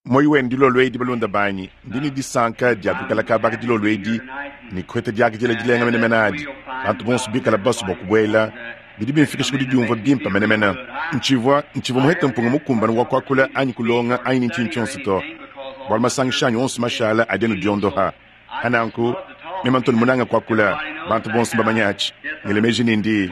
Muoyo wenu dilolo edi, balunda banyi, ndi ne disanka dia kuikala kaba aka dilolo edi ne kuheta diakidila dilenga menemene adi. Bantu bonso bikala basue bua kubuela, bidi bimfikisha ku didiumvua bimpe menemene. Ntshivua, ntshivua muhete mpunga mukumbane wa kuakula anyi kulonga anyi ne ntshinyi tshionso to, bualu masangisha anyi onso mashala adi anu diondoha. Pa nanku, mema ntu munanga kuakula, bantu bonso mbamanye atshi. Ngela meji ne ndi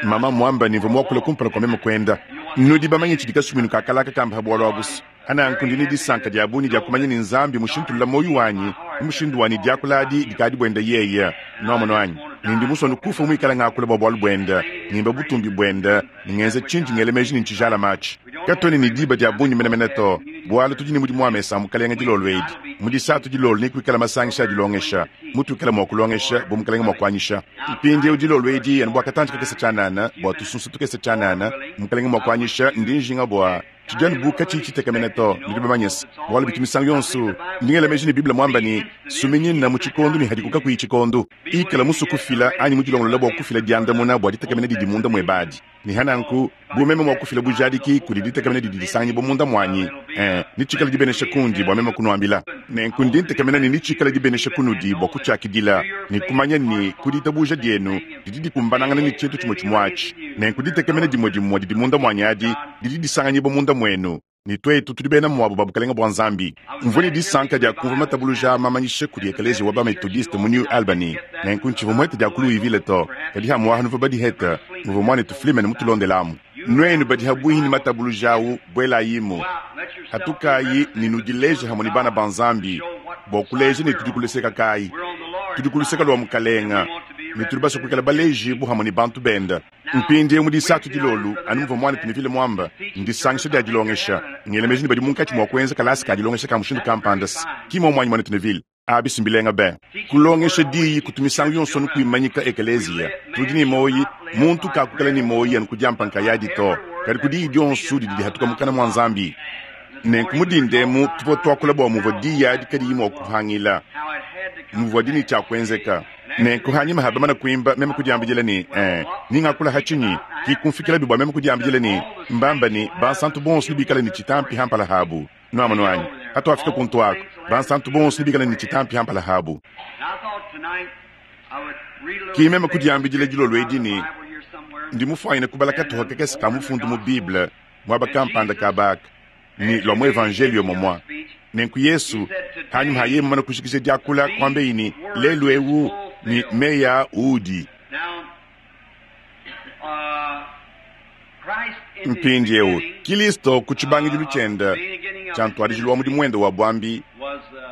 mama muamba ne mvua muakula kumpala kua meme kuenda. Nudi bamanye tshidi kasumuinu ka kalaka kamba ha bualu abu's. Pa nanku ndi ne disanka dia bungi dia kumanya ne Nzambi mushintulula muoyo wanyi mu mushindu wa ne diakula adi dikadi buenda yeye. Nuamonu anyi? Ne ndi musue kufua muikala ngakula bua bualu buenda, ngimba butumbi buenda ne ngenza tshindi ngela meji ne ntshijalama atshi. Katuena ne diba dia bungi menemene to, bualu tudi ne mudimu wa mesa a Mukalenge dilolo edi. Mu Disatu dilolo nekuikale masangisha a dilongesha, mutuikala mua kulongesha bu Mukalenge mua kuanyisha. Mpindieu dilolo edi, anu bua katantshi kakese tshianana, bua tusunsa tukese tshianana, Mukalenge mua kuanyisha, ndi njinga bua tshidi anu bu katshiyi tshitekemena to. Nudi bamanye se, bualu bitu misangu yonso, ndi ngela meji ne Bible muamba ne, Suminyina mu tshikondo ne hadiku kakuyi tshikondo. Ikala musue kufila anyi mudilongolola bua kufila diandamuna bua ditekemena didi munda muebe adi. Ne hananku, bu meme mua kufila bujadiki kudi ditekemena didi disanganyibua munda muanyi, ee, netshikale dibenesha kundi bua meme kunuambila. Nenku ndi ntekemena ne netshikale dibenesha kunudi bua kutshiakidila, ne kumanya ne ku ditabuja dienu didi dikumbanangana ne tshintu tshimue tshimue atshi. Nenku ditekemena dimue dimue didi munda muanyi adi didi disanganyibua munda muenu. Ne tuetu tudi bena muabu ba Bukalenge bua Nzambi. Mvua ne disanka dia kumvua matabuluja aa mamanyisha kudi Ekeleziya wa ba-Metodiste mu New Albany. Nenku ntshivua muhete dia ku Louisville to, kadi hamuaha nuvua badihete muvua muanetu Fleeman mutulondelamu. Nuenu badi habuihi ne matabuluja au, buelayimu, hatukayi ne nudileje hamue ne bana ba Nzambi bua kuleja ne tudi ku luseka kayi. Tudi ku luseka lua Mukalenga ne tudi basue kuikala balejibu hamue ne bantu benda. Mpindieu mu Disatu dilolu, anu muvua muanetu Neville muamba, ndisangisha dia dilongesha. Ngela meji ne badi munkatshi mua kuenza kalasa ka dilongesha ka mushindu kampanda, ki muomu anyi, muanetu Neville? Abi si mbilenga be! Kulongesha diyi kutu misangu yonso anu kuimanyika ekeleziya. Tudi ne muoyi, muntu kakuikala ne muoyi anu ku diampa nkayadi to, kadi ku diyi dionso didi dihatuka mukana mua Nzambi. Nenku mu dinda emu tuvua tuakula bua muvua diyi adi kadiyi mua kuhangila, muvuadi ne tshia kuenzeka. Nenku hanyima ha bamana kuimba, meme kudiambidila ne, Ee, ni ngakula ha tshinyi? Ki kumfikilabi bua meme kudiambidila ne, Mbamba ne, bansantu bonso nebikale ne tshitampi ha mpala habu. Nuamonu anyi? Hatuafika kuntu aku, bansantu bonso nebikale ne tshitampi ha mpala habu. Ki meme kudiambidila dilolo edi ne, Ndi mufuanyine kubala katuha kakese ka mufundu mu Bible muaba kampanda kaba aka, ne lua mu Evanjeliyo momua. Nenku Yesu, hanyima ha yeye mumane kujikija diakula, kuambeyi ne, Lelu eu ne meyi aa udi. Mpindieu, Kilisto ku tshibangidilu tshiende tshia ntuadijilu wa mudimu wende wa buambi,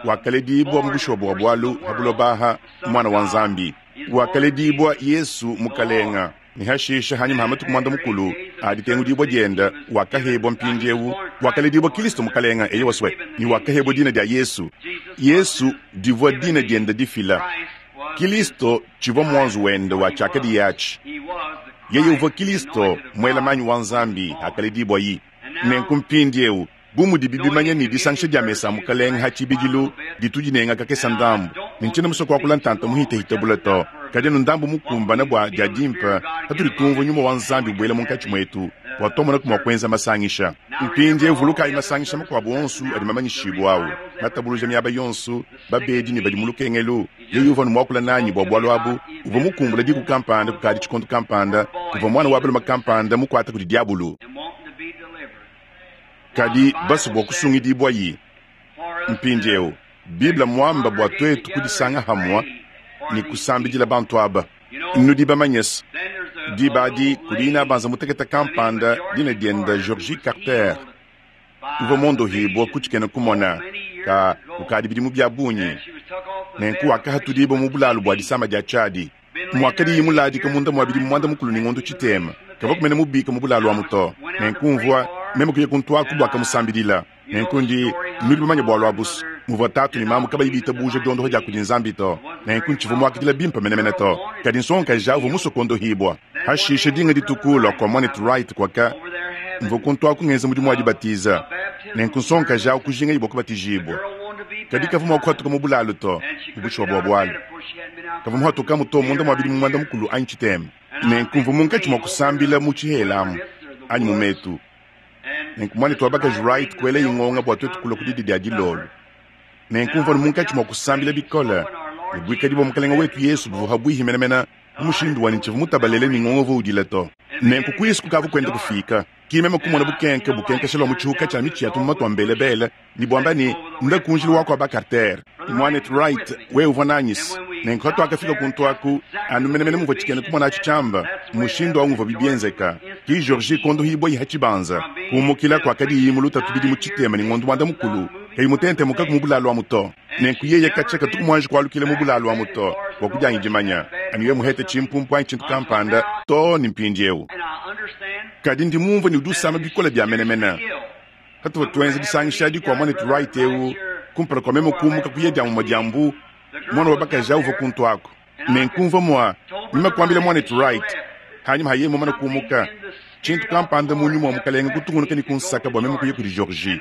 wakaledibua mu bushuwa bua bualu ha buloba aha, Muana wa Nzambi. Wakaledibua Yesu Mukalenga. Ne hashisha, hanyima ha matuku muanda mukulu a ditengudibua diende, wakahebua mpindieu, wakaledibua Kilisto Mukalenga, eyowa swe, ne wakahebua dina dia Yesu. Yesu divua dina diende difila. Kilisto tshivua muanzu wende wa tshiakadiye atshi. Yeye uvua Kilisto, muela manyi wa Nzambi, hakaledibuayi. Nenku mpindieu, Bu mudibi bimanya ne disangisha dia mesa a Mukalenge ha tshibidilu ditu dinenga kakese ndambu, ne ntshiena musue kuakula ntanta muhitehite bule to, kadi anu ndambu mukumbane bua dia dimpe patudi tumvua Nyuma wa Nzambi ubuela munkatshi muetu bua tuamonaku mua kuenza masangisha. Mpindieu vulukayi masangisha makuabu onso adi mamanyishibue au, matabuluja miaba yonso, babedi ne badi mu lukengelu. Yeye uvua anu muakula nanyi bua bualu abu. Uvua mukumbula diku kampanda kukadi tshikondo kampanda, kuvua muana wa balume kampanda mukuata kudi diabulu. Kadi basue bua kusungidibua-yi. Mpindieu, Bible mmuamba bua tuetu kudisanga hamue ne kusambidila bantu aba. Nudi bamanye-se, diba adi kudi inabanza mutekete kampanda, dina diende Georgie Carter, uvua muondohibua ku tshikena-kumona ka kukadi bidimu bia bungi, nenku wakahatudibua mu bulalu bua disama dia tshiadi. Muakadiye muladika munda mua bidimu muanda-mukulu ne ngondo tshitema, kavua kumena mubika mu bulalu amu to. Nenku mvua meme kuya kuntu aku bua kamusambidila. Nenku ndi, nudi bamanye bualu abu's, muvua tatu ne mamu kabayi bitabuja diondoha dia kudi Nzambi to. Nenku ntshivua muakidila bimpe menemene to. Kadi nsongakaji au uvua musue kuondohibua. Hashishe dinga dituku lua kua muanetu Wright kuaka, mvua kuntu aku ngenza mudimu wa dibatiza. Nenku nsongakaji au kujingaye bua kubatijibua. Kadi kavua mua kuhatuka mu bulalu to, mu bushuwa bua bualu. Kavua muhatukamu to munda mua bidimu muanda mukulu anyi tshitema. Nenku mvua munkatshi mua kusambila mu tshihela amu, anyi mu metu. Nenku Mwanetu wa bakaji Wright kuelaye ngonga bwa twetu kulwa ku didi dya diloolo. Nenku mvwa munkaci mwa kusambila bikole, ne bwikadi bwa Mukalenge wetu Yesu buvwa habwihi menemene mu mushindu wa ne ncivwa mutabalele ne ngonga uvwa udila to. Nenku kwisu kukaavwa kwenda kufiika, ki meme kumona bukenke bukenkesha lwa mu cihuka cya mici ya tumuma twa mbelebele, ne bwamba ne, Nula ku njila wa kwa ba Carter. Mwanetu Wright, wewe uvwa nanyi's. Nenku patwakafika kuntu aku, anu menemene muvwa cikena kumona aci cyamba, mushindu awu nguvwabi byenzeka. Ki Georgie kondohibwayi ha cibanza, kumukila kwakadiyi mu lutatu bidimu citema ne ngondu mwanda mukulu, kayi mutentemukaku mu bulalu amu to. Nenku yeye kacya katuku mwanji kwalukila mu bulalu amu to, bwa kudyanyi dimanya, anu yeye muhete cimpumpu anyi cintu kampanda, too ne mpindyewu. Kadi ndi mumvwe ne udi usama bikole bya menemene. Patuvwa twenza disangisha adi kwa Mwanetu Wright ewu, kumpala kwa meme kuumuka kuya dya mumwe dya mbu, mwana wa bakaji awu uvwa kuntu aku. Nenku mvwa mwa, meme kwambila Mwanetu Wright, hanyima ha yeye mumane kuumuka, cintu kampanda mu Nyuma wa Mukalenge kutungunuka ne kunsaka bwa meme kuya kudi Georgie.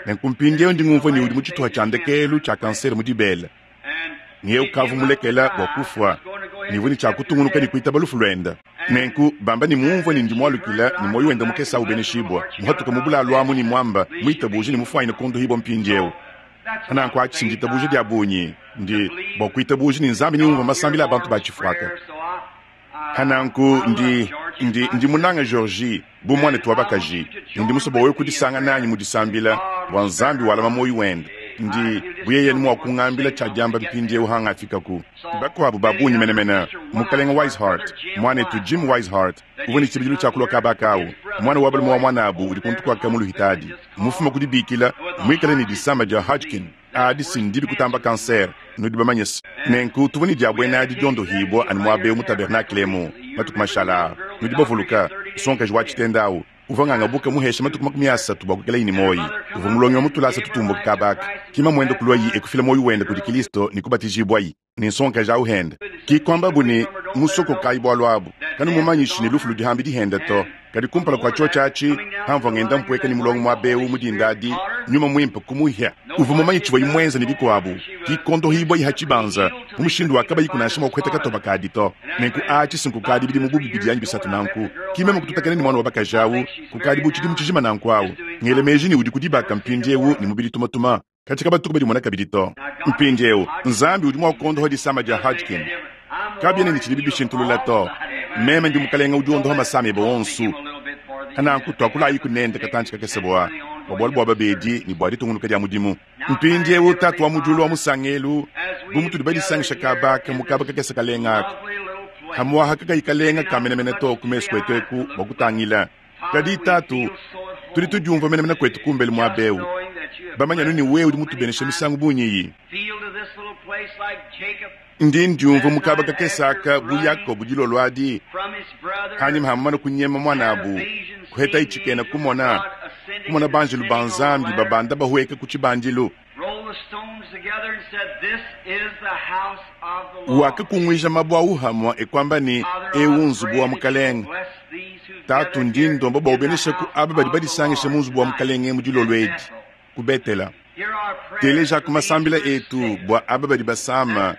Nenku mpindyewu ndi ngumvwa ne udi mu cituha cya ndekeelu cya kansere mu dibele. Ne yeye ukavwa mulekela bwa kufwa, ne uvwa ne cya kutungunuka ne kwitaba lufu lwende. Nenku bamba ne mumvwa ne ndi mwalukila, ne mwoyi wende mukese awu ubeneshibwa, muhatuka mu bulalu amu ne mwamba, mwitabuja ne mufwanyine kondohibwa mpindyewu. Pananku aci nditabuja dya bungi, ndi bwa kwitabuja ne Nzambi neumvwe masambila a bantu ba cifwaka. Pananku ndi, ndi, ndi munange Georgie bu mwanetu wa bakaji, ne ndi musue bwa wewe kudisanga nanyi mu disambila bwa Nzambi walama mwoyi wende. Ndi, bu yeye anu mwa kungambila cya dyamba mpindyewu hangafikaku. Bakwabo ba bungi menemene, Mukalenge Wiseheart, mwanetu Jim Wiseheart, uvwa ne cibidilu cya kulwa kaba aka awu, mwana wa balume wa mwanabu udi kuntu kwaka mu luhitadi, mufuma ku dibikila, mwikale ne disama dya Hodgkin. Adi si ndibi kutamba kansere, nudi bamanye's. Nenku tuvwa ne dya bwena adi dyondohibwa anu mwaba ewu mu tabernakle emu, matuku mashala aa. Nudi bavuluka, nsongakaji wa citenda awu, uvwa ngangabuka muhesha matuku 30 bwa kwikalayi ne mwoyi. Uvwa mulongi wa mu tulasa tutumbuka kaba aka. Ki mamwende kulwayi e kufila mwoyi wende kudi Kilisto ne kubatijibwayi, ne nsongakaji awu hende. Ki kwambabu ne, Musokokayi bwalu abu, kanumumanyishi ne lufu ludi hambidi hende to. Kadi kumpala kua tshiotshi atshi, pamvua ngenda mpueka ne mulongo muaba eu mu dinda adi, Nyuma Muimpe kumuhia. Uvua mumanye tshivuaye muenze ne bikuabu, kikondohibua ha tshibanza mu mushindu wa kabayiku nansha mua kuheta katoba kadi to. Nenku atshi si nkukadi bidimu bu bibidi anyi bisatu nanku, ki meme kututakena ne muana wa bakaji au kukadi bu tshidimu tshijima nanku au. Ngela meji ne udi ku dibaka mpindieu ne mubidi tumatuma. Katshia kabatuku badimona kabidi to. Mpindieu, Nzambi udi mua kuondoha disama dia Hodgkin. Kabiena ne tshidibi bishintulula to. Meme ndi Mukalenge udi wondoha masama ebe onso. Nanku tuakulayiku nende katantshi kakese bua bua bualu bua babedi ne bua ditungunuka dia mudimu. Mpindieu, Tatu wa mu Diulu wa musangelu, bu mutudi badisangisha kaba aka mu kaba kakese kalenga aka, pamu'apa kakayi kalenga ka menemene to ku mesu kuetu eku bua kutangila, Kadi Tatu, tudi tudiumvua menemene kuetu kumbelu muaba eu, bamanye anu ne wewe udi mutubenesha misangu bungi iyi. Ndi ndiumvua mu kaba kakese aka bu Yakobo dilolo adi, panyima ha mumane kunyema muanabu, kuhetaye tshikena kumona, kumona banjelu ba Nzambi babanda bahueka ku tshibandilu. Wakakunguija mabue au hamue e kuamba ne, Eu nzubu wa Mukalenge. Tatu, ndi ndomba bua ubenesheku aba badi badisangishe mu nzubu wa Mukalenge mu dilolo edi ku Betela. Telejaku masambila etu bua aba badi basama.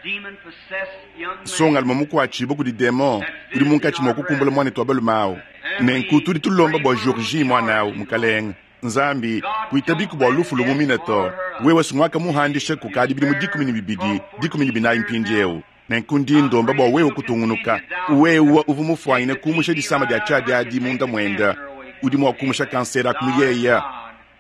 Nsongalume mukuatshibue kudi demon udi munkatshi mua kukumbula muanetu wa balume au. Nenku tudi tulomba bua Georgie muana au, Mukalenge. Nzambi, kuitabiku bua lufu lumumine to. Wewe si nguakamuhandisha kukadi bidimu 12, 14 mpindieu. Nenku ndi ndomba bua wewe kutungunuka. Wewe uvua mufuanyine kumusha disama dia tshiadi adi munda muende. Udi mua kumusha kansere aku mu yeya.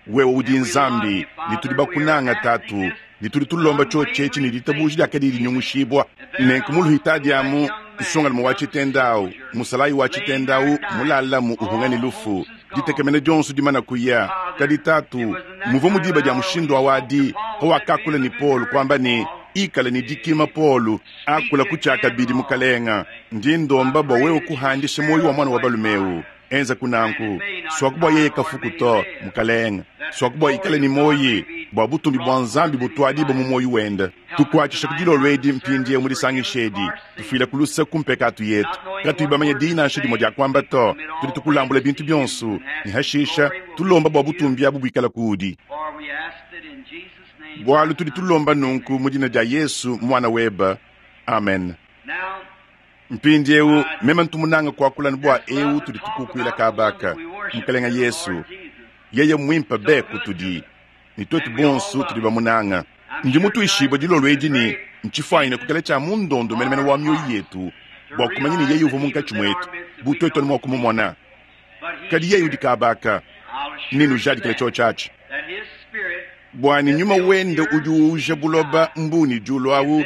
Wewe udi Nzambi, ne tudi bakunanga, Tatu, ne tudi tulomba tshiotshi etshi ne ditabuja diakadi dinyungushibua. Nenku mu luhitadi amu, nsongalume wa tshitenda au, musalayi wa tshitenda au, mulalamu uhunga ne lufu. Ditekemena dionso dimana kuya. Kadi Tatu, muvua mu diba dia mushindu awu adi, pawakakula ne Paulo, kuamba ne, Ikala ne dikima, Paulo, akula ku tshiakabidi, Mukalenga. Ndi ndomba bua wewe kuhandisha muoyo wa muana wa balume eu. Enzaku nanku. Suaku bua yeye kafuku to, Mukalenga. Suaku bua ikale ne muoyi, bua butumbi bua Nzambi butuadibue mu muoyo wende. Tukuatshisha ku dilolo edi mpindieu mu disangisha edi. Tufuila ku luse ku mpekatu yetu, katuyi bamanye diyi nansha dimue dia kuamba to. Tudi tukulambula bintu bionso, ne hashisha tulomba bua butumbi abu buikale kuudi. Bualu tudi tulomba nunku mu dina dia Yesu, Muana webe. Amen. Mpindieu meme ntu munange kuakula anu bua eu tudi tukukuila kaba aka, Mukelenge Yesu. Yeye mmwimpe be kutudi, ne twetu bonso tudi bamunanga. Ndi mutwishibwe dilolo edi ne ncifwanyine kwikala cya mu ndondo menemene wa myoyi yetu bwa kumanya ne Yeye uvwa munkaci mwetu, bu twetu anu mwa kumumona. Kadi Yeye udi kaaba aka, nenujadikile cyoci aci. Bwa ne Nyuma Wende udi uuja buloba, mbuu ne dyulu awu,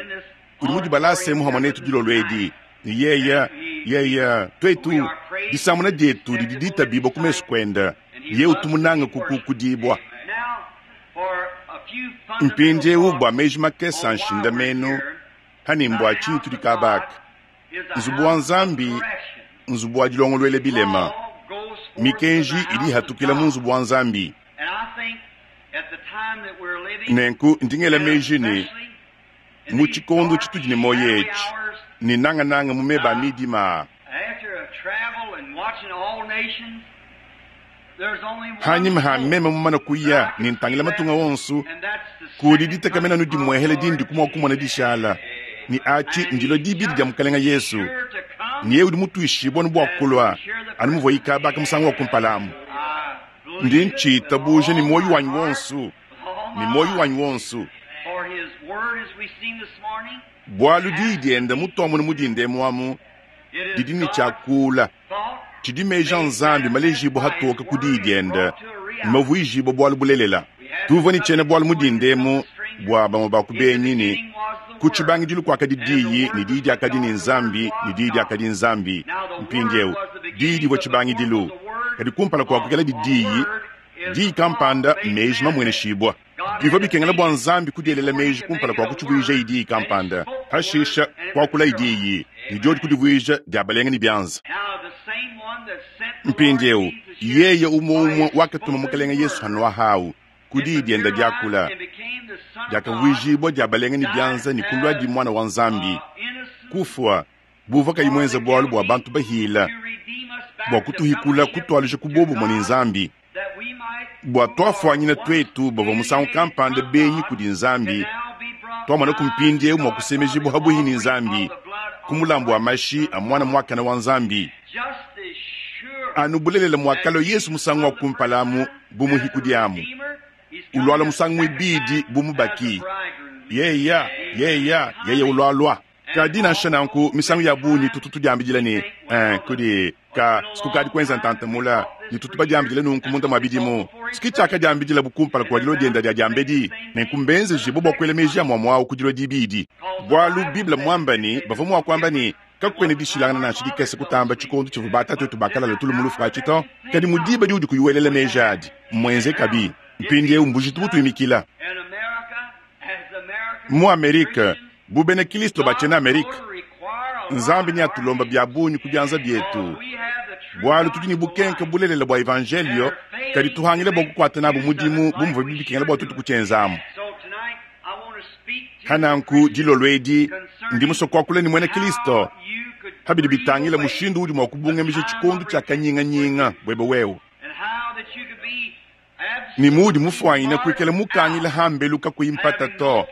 udi mudibalaasemu hamwe neetu dilolo edi, ne Yeye, Yeye, twetu, disamuna dyetu didi diitabiibwa ku mesu Kwende, ne Yeye utu munange kukukudiibwa. Mpindyewu bwa meeji makese a nshindameenu, ha ne mbwa cinyi tudi kaaba aka? Nzubu wa Nzambi nzubu wa dilongolwela bilema. Mikenji idi ihatukila mu nzubu wa Nzambi. Nenku ndi ngela meji ne, mu tshikondo tshitudi ne muoyo etshi, ne nangananga mu meba a midima aa, hanyima ha meme mumane kuya ne ntangila matunga onso, kudi ditekemena anu dimuehele dindiku mua kumona dishala, ne atshi ndilua dibidi dia Mukelenge Yesu, ne yeye udi mutuishibue anu bua kulua anu muvua ikabaka musangu wa kumpala amu. Ndi ntshitabuja ne muoyo wanyi wonso, ne muoyo wanyi wonso. Bualu diyi diende mutuamona mu dinda emu amu didi ne tshia kuula, tshidi meji a Nzambi malejibue hatoke ku diyi diende ne mavuijibue bualu bulelela. Tuvua ne tshiena-bualu mu dinda emu bua bamue ba ku benyi ne, Ku tshibangidilu kuakadi Diyi, ne Diyi diakadi ne Nzambi, ne Diyi diakadi Nzambi. Mpindieu, Diyi divua tshibangidilu, kadi kumpala kua kuikaladi Diyi, Diyi kampanda, meji mamueneshibua. Bivua bikengela bua Nzambi kudielela meji kumpala kua kutshivuijaye diyi kampanda, pashisha kuakulaye diyi, ne diodi kudivuija dia balenga ne bianza. Mpindieu, yeye umue-umue wakatuma Mukalenge Yesu hanuahawu ku diyi diende diakula, diakavuijibua dia balenga ne bianza ne kuluadi Muana wa Nzambi, kufua bu uvua kayi muenze bualu bua bantu bahila, bua kutuhikula kutualuja ku buobumue ne Nzambi. Bua tuafuanyina tuetu bavua musangu kampanda benyi kudi Nzambi, tuamona ku mpindieu mua kusemejibua habuihi ne Nzambi ku mulambu wa mashi a Muana muakane wa Nzambi. Anu bulelela muakalua Yesu musangu wa kumpala amu bu muhikudi amu, ulualua musangu muibidi bu mubaki. Yeya, yeya, yeye ulualua. Kadi nansha nanku, misangu ya bungi tutu tudiambidila ne, eh, kudi ka sikukadi kuenza ntanta mula, ne tutu badiambidila nunku munda mua bidimu. Siki tshiakadiambidilabu kumpala kua dilua dienda dia diambedi, nenku mbenzejibue bua kuela meji amue-amue au ku dilua dibidi. Bualu Bible mmuambe ne, bavua mua kuamba ne, kakuena dishilangana nansha dikese kutamba tshikondo tshivua batatuetu bakalala tulu mu lufu atshi to. Kadi mu diba diudi kuyi welela meji adi, mmuenzekabi. Mpindieu mbujitu butuimikila. Mu Amerike, bu bena Kristo ba tshiena Amerike, Nzambi neatulombe bia bungi ku bianza bietu, bualu tudi ne bukenke bulelela bua evanjelio, kadi tuhangile bua kukuata nabu mudimu bu muvuabi bikengela bua tuetu kutshienzamu. Hananku dilolo edi ndi musue kuakula ne muena Kristo pa bidi bitangila mushindu udi mua kubungamija tshikondo tshia kanyinganyinga buebe wewe, ne muudi mufuanyine kuikala mukangila hambelu kakuyi mpata to,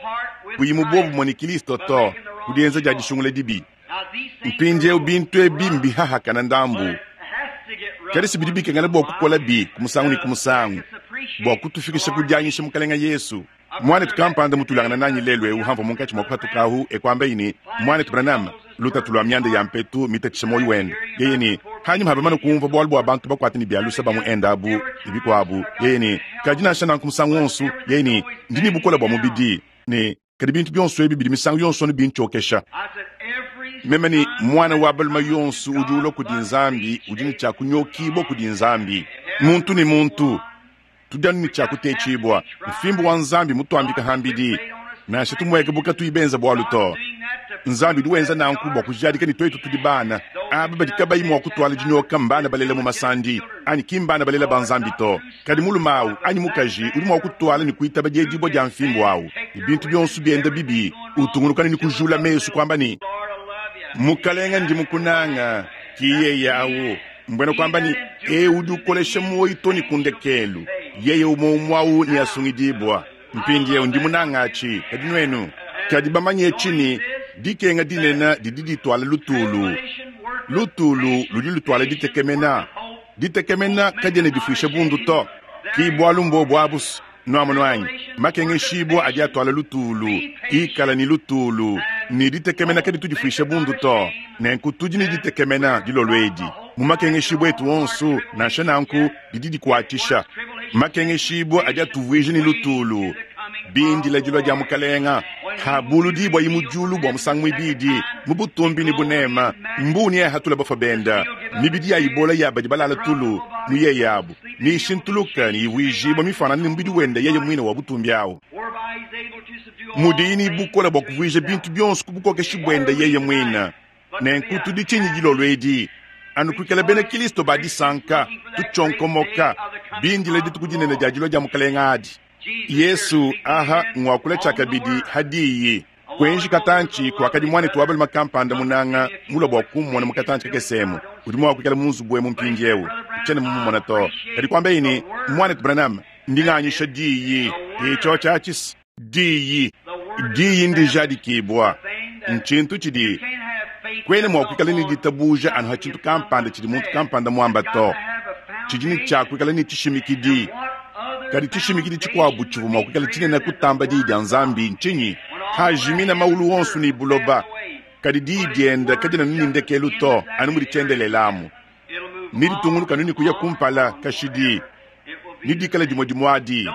kuyi mu buobumue ne Kristo to, ku dienza dia disungula dibi. Mpindieu bintu ebi mbihahakana ndambu, kadi si bidi bikengela bua kukolabi ku musangu ne ku musangu bua kutufikisha ku dianyisha Mukalenge Yesu. Muanetu kampanda mutulangana nanyi lelu eu hamvua munkatshi mua kupatuka ahu, e kuambaye ne, Muanetu Branham, lutatu lua mianda ya mpetu mitatshisha muoyo wende. Yeye ne, hanyima ha bamane kumvua bualu bua bantu bakuate ne bia lusa ba mu Inde abu ne bikuabu, yeye ne, kadi nansha nanku musangu wonso, yeye ne, ndi ne bukole bua mubidi, ne kadi bintu bionso ebi bidi misangu yonso anu bintshiokesha. Meme ne, muana wa balume yonso udi ulua kudi Nzambi udi ne tshia kunyokibua kudi Nzambi, muntu ne muntu. Tudi anu ne tshia kutetshibua. Mfimbu wa Nzambi mutuambika hambidi, nansha tumueke bu katuyi benza bualu to. Nzambi udi wenza nanku bua kujadika ne tuetu tudi bana. Aba badi kabayi mua kutuala dinyoka mbana balela mu masandi, anyi ki mbana balela ba Nzambi to. Kadi mulume au anyi mukaji udi mua kutuala ne kuitaba diedibua dia mfimbu au, ne bintu bionso bienda bibi, utungunuka ne kujula mesu kuamba ne, Mukalenga, ndi mukunanga. Ki yeye au. Mbuena kuamba ne, eu udi ukolesha muoyo to ne ku ndekelu, yeye umue umue au neasungidibua. Mpindieu ndi munanga atshi, kadi nuenu? Kadi bamanye etshi ne, dikenga dinene didi dituala lutulu, lutulu ludi lutuala ditekemena, ditekemena kadiena difuisha bundu to. Ki bwalu mbwobo abu's. Nwamonu anyi? Makengeshiibwa adi atwala lutuulu. Ikala ne lutuulu, ne ditekemena kaditu difwisha bundu to. Nenku tudi ne ditekemena, dilolo edi, mu makengeshiibwa etu onso, nansha nanku, didi dikwacisha. Makengeshiibwa adi atuvwija ne lutuulu, bindila dilwa dya Mukalenga. Habuludibwayi mu dyulu bwa musangu mwibidi, mu butumbi ne bunema, mbuu neahatule bafwa benda, mibidi ya ibola ya badi balala tulu mu yeye abu neyishintuluke ne ivwijibwa mifanane ne mubidi wende yeye mwine wa butumbi awu, mudiyi ne bukole bwa kuvwija bintu byonso ku bukokeshi bwende yeye mwine. Nenku tudi tshinyi dilolo edi? Anu kwikala bena Kilisto ba disanka, tucyonkomoka, bindile dituku dinene dya dilwa dya Mukalenga adi. Yesu aha ngwakula tshiakabidi ha diyi. Kuenji katantshi kuakadi muanetu wa balume kampanda munanga mulua bua kummona mu katantshi kakese emu. Udi mua kuikala mu nzubu emu mpindieu. Ntshiena mumumona to. Kadi kuambaye ne, Muanetu Branham, ndi nganyisha diyi. Etshiotshi atshis diyi. Diyi ndijadikibua. Ntshintu tshidi kuena mua kuikala ne ditabuja anu ha tshintu kampanda tshidi muntu kampanda muamba to. Tshidi ne tshia kuikala ne tshishimikidi. Kadi tshishimikidi tshikuabu tshivua mua kuikala tshinene kutamba diyi dia Nzambi ntshinyi? Hajimina maulu onso ne buloba, kadi diyi diende kadiena ne ndekelu to, anu mudi tshiendelele amu. Neditungunuke anu ne kuya kumpala kashidi, nedikale dimue dimue adi.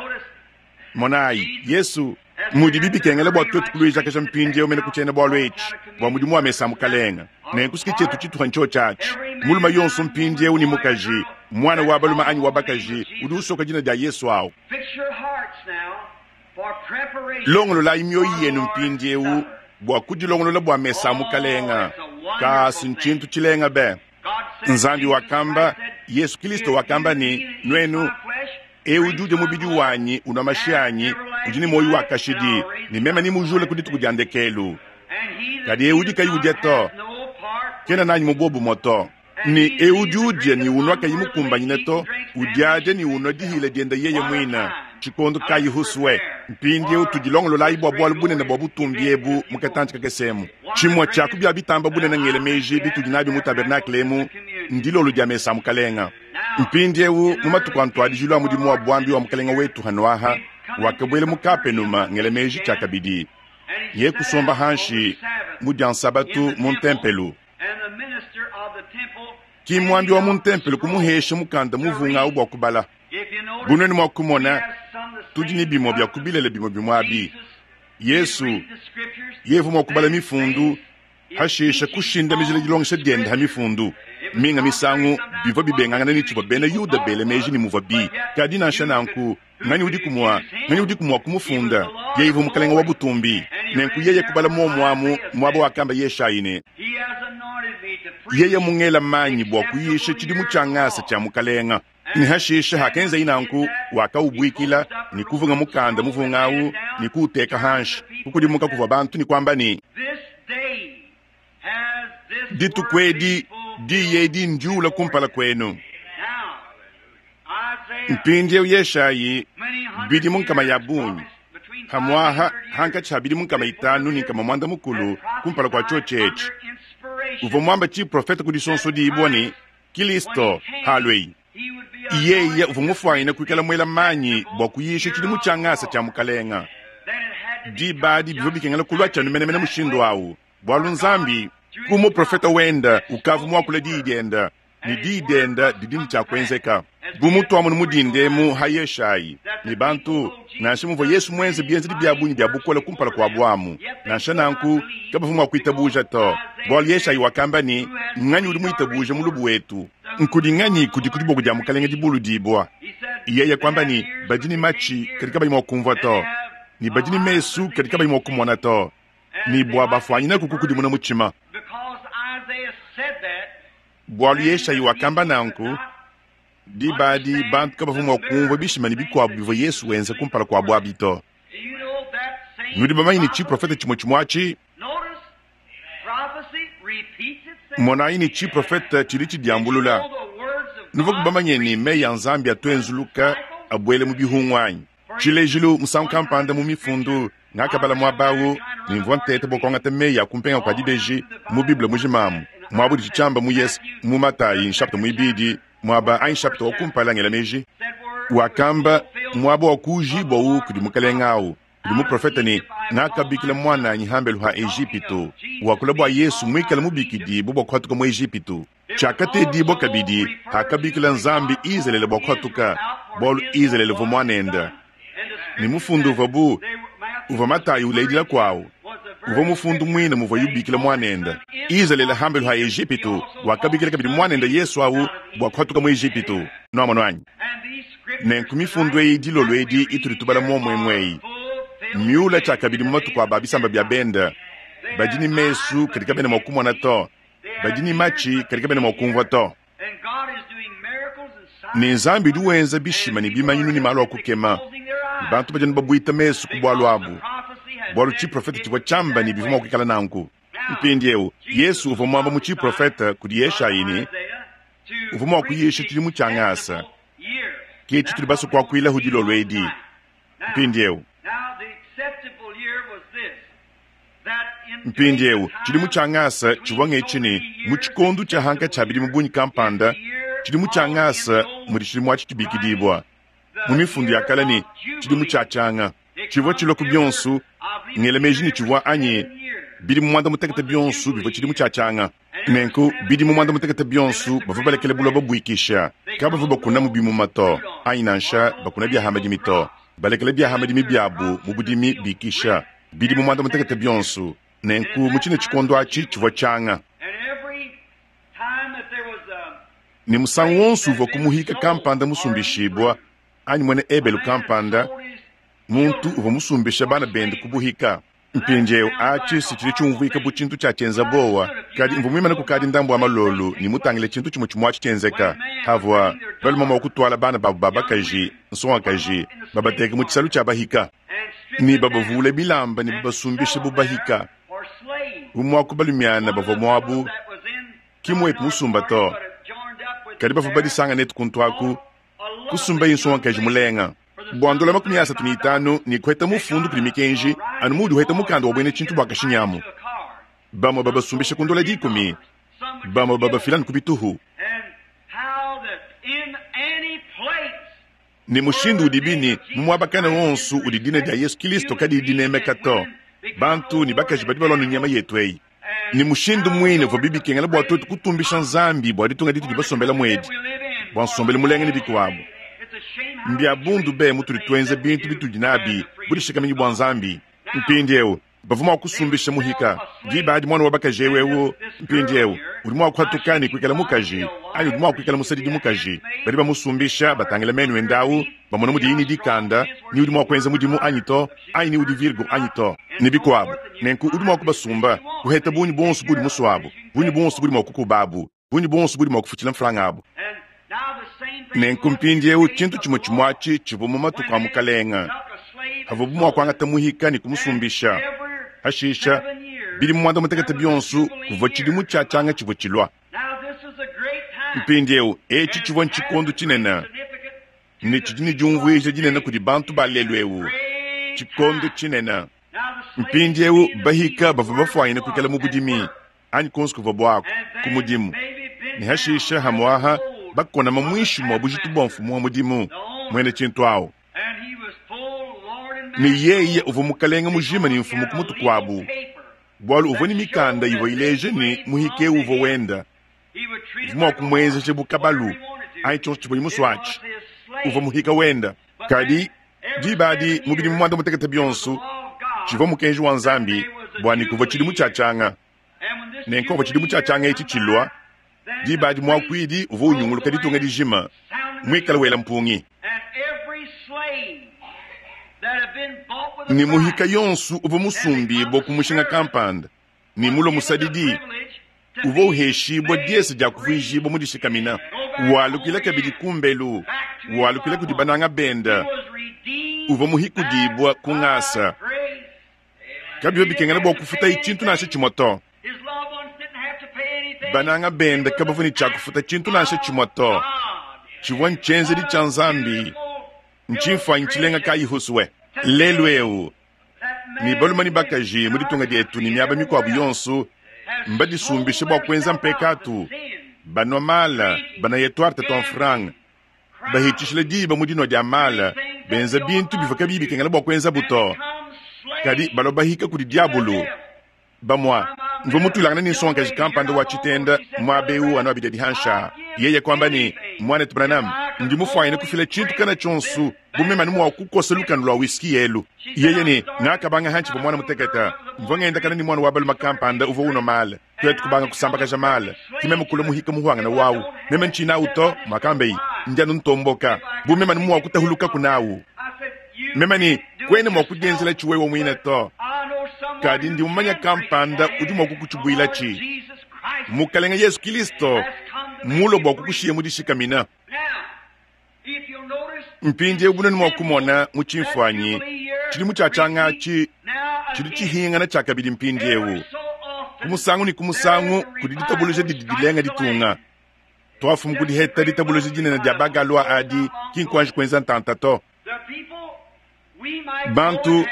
Monayi, Yesu, mudibi bikengela bua tuetu kuluijakaja mpindieu mene ku tshiena-bualu etshi bua mudimu wa mesa a Mukalenge. Nenku s'ke tshietu tshituha ntshiotshi atshi. Mulume yonso mpindieu ne mukaji, muana wa balume anyi wa bakaji, udi usoka dina dia Yesu au. Longololayi mioyo yenu mpindieu bua kudilongolola bua mesa a Mukalenge. Kaa, si ntshintu tshilenga be! Nzambi wakamba, Yesu Kilisto wakamba ne, Nuenu, eu udi udia mubidi wanyi, unua mashi anyi, udi ne muoyo wa kashidi, ne meme nemujule ku dituku dia ndekelu. Kadi eu udi kayi udia to, kena nanyi mu buobumue to. Ne eu udi udia ne unua kayi mukumbanyine to, udiadia ne unua dihila diende yeye muine. Tshikondo kayi husue? Mpindieu tudilongololayi bua bualu bunene bua butumbi ebu mu katantshi kakese emu. Tshimue tshia ku bia bitamba bunene ngela meji bitudi nabi mu tabernakle emu ndilolo dia mesa a Mukalenga. Mpindieu mu matuku a ntuadijilu a mudimu wa buambi wa Mukalenga wetu hanuaha, wakabuela mu Kapenuma ngela meji tshiakabidi. Ye kusomba hanshi mu dia Nsabatu mu ntempelu. Ki muambi wa mu ntempelo kumuhesha mukanda muvunga au bua kubala. Bu nuenu mua kumona, tudi ne bimue bia ku bilele bimue bimue abi. Yesu, yeye uvua mua kubala mifundu, hashishe kushindamijila dilongesha diende ha mifundu. Minga misangu bivua bibengangana ne tshivua bena Yuda bela meji ne muvuabi. Kadi nansha nanku, Nganyi udiku mua, nganyi udiku mua kumufunda? Yeye uvua Mukalenge wa butumbi. Nenku yeye kubala muomu amu muaba wakamba Yeshayi ne, Yeye mungela manyi bua kuyisha tshidimu tshia ngasa tshia Mukalenga. Ne hashishe hakenzaye nanku, wakaubuikila ne kuvunga mukanda muvunga au ne kuuteka hanshi, kukudimuka kuvua bantu ne kuamba ne, Dituku edi diyi edi ndiula kumpala kuenu. Mpindieu Yeshayi bidimu nkama ya bungi, pamuaha hankatshi ha bidimu 500 ne 900 kumpala kua tshiotshi etshi, uvua muamba tshiprofete ku disonsodibua ne Kilisto halueyi. Yeye uvua mufuanyine kuikala muela manyi bua kuyisha tshidimu tshia ngasa tshia Mukalenga. Diba adi bivua bikengela kulua tshianu menemene mushindu au, bualu Nzambi, ku muprofete wende, ukavua muakule diyi diende, ne diyi diende didi ne tshia kuenzeka. Bu mutuamonu mu dinda emu ha Yeshayi ne bantu, nansha muvua Yesu muenze bienzedi bia bungi bia bukole kumpala kuabu amu, nansha nanku kabavua mua kuitabuja to, bualu Yeshayi wakamba ne, Nganyi udi muitabuje mulubu wetu? Nkudi nganyi kudi ku diboko dia Mukalenge dibuludibua? Yeye kuamba ne, Badi ne matshi, kadi kabayi mua kumvua to, ne badi ne mesu, kadi kabayi mua kumona to, ne bua bafuanyinaku kukudimuna mutshima. Bualu Yeshayi wakamba nanku, diba adi bantu kabavua mua kumvua bishima ne bikuabu bivua Yesu wenza kumpala kuabu abi to. Nudi bamanye ne tshiprofete tshimue tshimue atshi? Monayi ne tshiprofete tshidi tshidiambulula. Nuvuaku bamanye ne meyi a Nzambi atu enzuluka abuela mu bihungu anyi? Tshilejilu, musangu kampanda mu Mifundu, ngakabala muaba au ne mvua nteta bua kuangata meyi a kumpenga kua dibeji mu Bible mujima amu, muaba udi tshiamba mu Yes, mu Matayi nshapita muibidi, muaba anyi nshapita wa kumpala ngela meji. Wakamba muaba wa kuujibua wu kudi mukelenge au kudi muprofete ne, Ngakabikila muananyi hambelu ha Ejipitu, wakula bua Yesu muikale mubikidibue bua kuhatuka mu Ejipitu. Tshiakatedibua kabidi hakabikila Nzambi Izalele bua kuhatuka, bualu Izalele uvua muanende. Ne mufundu uvua bu uvua Matayi uledila kuawu, uvua mufundu muine muvuaye ubikila muanende Izalele hambelu ha Ejipitu, wakabikila kabidi muanende Yesu au bua kuhatuka mu Ejipitu. Nuamonu anyi? Nenku mifundu eyi dilolo edi itudi tubala muomuemue eyi miula tshiakabidi mu matuku a ba bisamba bia bende, badi ne mesu kadi kabena mua kumona to, badi ne matshi kadi kabena mua kumvua to. Ne Nzambi udi wenza bishima ne bimanyinu ne malu a kukema, ne bantu badi anu babuita mesu ku bualu abu, bualu tshiprofete tshivua tshiamba ne bivua mua kuikala nanku. Mpindieu, Yesu uvua muamba mu tshiprofete kudi Yeshayi ne, uvua mua kuyisha tshidimu tshia ngasa. Ke tshitudi basue kuakuilahu dilolo edi. Mpindieu, mpindieu tshidimu tshia ngasa tshivua ngetshi ne, mu tshikondo tshia hankatshi tshia bidimu bungi kampanda, tshidimu tshia ngasa mudi tshidimu atshi tshibikidibua mu mifundu ya kale ne, tshidimu tshia tshianga. Tshivua tshilua ku bionso, ngela meji ne tshivua anyi bidimu muanda mutekete bionso bivua tshidimu tshia tshianga. Nenku bidimu muanda mutekete bionso bavua balekele buloba buikisha, kabavua bakunamu bimuma to, anyi nansha bakuna bia ha madimi to, balekele bia ha madimi biabu mu budimi bikisha bidimu muanda mutekete bionso. Nenku mu tshine tshikondo atshi tshivua tshianga. Ne musangu wonso uvua ku muhika kampanda musumbishibua, anyi muena Ebelu kampanda, muntu uvua musumbisha bana bende ku buhika. Mpindieu, atshi si tshidi tshiumvuika bu tshintu tshia tshienza buowa, kadi mvua muimane kukadi ndambu wa malolu ne mutangile tshintu tshimue tshimue atshi tshienzeka. Havua balume mua kutuala bana babu ba bakaji, nsongakaji, babateke mu tshisalu tshia bahika, ne babavule bilamba ne babasumbisha bu bahika. Bu muaku balumiana bavua muabu, ki muetu musumba to, kadi bavua badisanga netu kuntu aku, kusumbaye nsongakaji mulenga. Bua ndola 35 ne kuheta mufundu kudi mikenji, anu muudi uheta mukanda wa buena tshintu bua kashinyamu. Bamue babasumbisha ku ndola 10, bamue babafila ku bituhu. Ne mushindu udibi ne mu muaba kana wonso udi dina dia Yesu Kilisto kadiyi dinemeka to, bantu ne bakaji badi balua ne nyama yetu eyi. Ne mushindu muine uvua bikengela bua tuetu kutumbisha Nzambi bua ditunga ditudi basombela muedi, bua nsombelu mulenga ne bikuabu. Mbia bundu be mutudi tuenza bintu bitudi nabi budishikaminyi bua Nzambi. Mpindieu bavua mua kusumbisha muhika diba adi muana wa bakaji eu eu mpindieu udi mua kuhatuka ne kuikala mukaji anyi udi mua kuikala musadidi mukaji. Badi bamusumbisha batangila menu ende au, bamona mudiye ne dikanda, ni udi mua kuenza mudimu anyi to, anyi ni udi virgo anyi to, ne bikuabu. Nenku udi mua kubasumba, kuheta bungi buonso budi musuabu, bungi buonso budi mua kukubabu, bungi buonso budi mua kufutshila mfranga abu. Nenku mpindieu tshintu tshimue tshimue atshi tshivua mu matuku a Mukalenga, havuabu mua kuangata muhika ne kumusumbisha. Hashisha bidimu muanda mutekete bionso kuvua tshidimu tshia tshianga tshivua tshilua. Mpindieu etshi tshivua ntshikondo tshinene ne tshidi ne diumvuija dinene kudi bantu ba lelu eu, tshikondo tshinene. Mpindieu bahika bavua bafuanyine kuikala mu budimi anyi kuonso kuvua buaku ku mudimu, ne hashisha hamuaha bakonama muinshi mua bujitu bua mfumu wa mudimu muena tshintu awu. Ne yeye uvua mukalenge mujima ne mfumu ku mutu kuabu, bualu uvua ne mikanda ivua ileja ne muhika eu uvua wenda, uvua mua kumuenzeja bu kabalu anyi tshionso tshivua musue atshi, uvua muhika wenda. Kadi diba adi mu bidimu muanda mutekete bionso tshivua mukenji wa Nzambi bua ne kuvua tshidimu tshia tshianga. Nenku pavua tshidimu tshia tshianga etshi tshilua, diba adi muakuidi uvua unyunguluka ditunga dijima muikale wela mpungi. Ne muhika yonso uvua musumbibue ku mushinga kampanda ne mulue musadidi uvua uheshibua diese dia kuvuijibua mudishikamina, walukila kabidi kumbelu, walukila kudi bananga bende, uvua muhikudibua ku ngasa. Kabivua bikengela bua kufutaye tshintu nansha tshimue to. Bananga bende kabavua ne tshia kufuta tshintu nansha tshimue to. Tshivua ntshienzedi tshia Nzambi, ntshimfuanyi tshilenga kayi husue. Lelu eu, ne balume ne bakaji mu ditunga dietu ne miaba mikuabu yonso mbadisumbishe bua kuenza mpekatu, banua mala, banaya tuarte tua mfranga. Bahitshishila diba mu dinua dia mala, benza bintu bivua kabiyi bikengela bua kuenzabu to. Kadi balua bahika kudi diabulu. Bamua, mvua mutuilangane ne nsongakaji kampanda wa tshitenda muaba eu anu abidi adi hanshi aa. Yeye kuamba ne, Muanetu Branham, ndi mufuanyine kufila tshintu kana tshionso bu meme anu mua kukosa lukanu lua whisky elu. Yeye ne, Ngakabanga hantshivua muana mutekete. Mvua ngendakana ne muana wa balume kampanda uvua unua mala. Tuetu kubanga kusambakaja mala. Ke meme kulua muhika muhuangane wawu. Meme ntshinawu to, muakambeyi. Ndi anu ntomboka. Bu meme anu mua kutahulukaku nawu. Meme ne, Kuena mua kudienzelatshi wewe muine to. Kadi ndi mumanye kampanda udi mua kukutshibuilatshi. Mukalenge Yezu Kilisto mmulue bua kukushiya mu dishikamina. Mpindieu bu nuenu mua kumona mu tshimfuanyi, tshidimu tshia tshianga atshi tshidi tshihingana tshiakabidi mpindieu. Ku musangu ne ku musangu kudi ditabuluja didi dilenga ditunga. Tuafumu ku diheta ditabuluja dinene dia ba-Galois adi, ki nkuanji kuenza ntanta to. Bantu,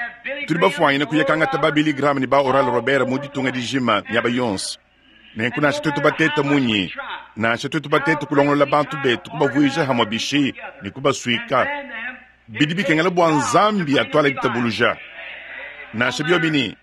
tudi bafuanyine kuya kangata ba Billy Graham ne ba Oral Robert mu ditunga dijima miaba yonso. Nenku nansha tuetu batete munyi, nansha tuetu batete kulongolola bantu betu kubavuija hamue bishi ne kubasuika, bidi bikengela bua Nzambi atuale ditabuluja. Nansha biobi ne,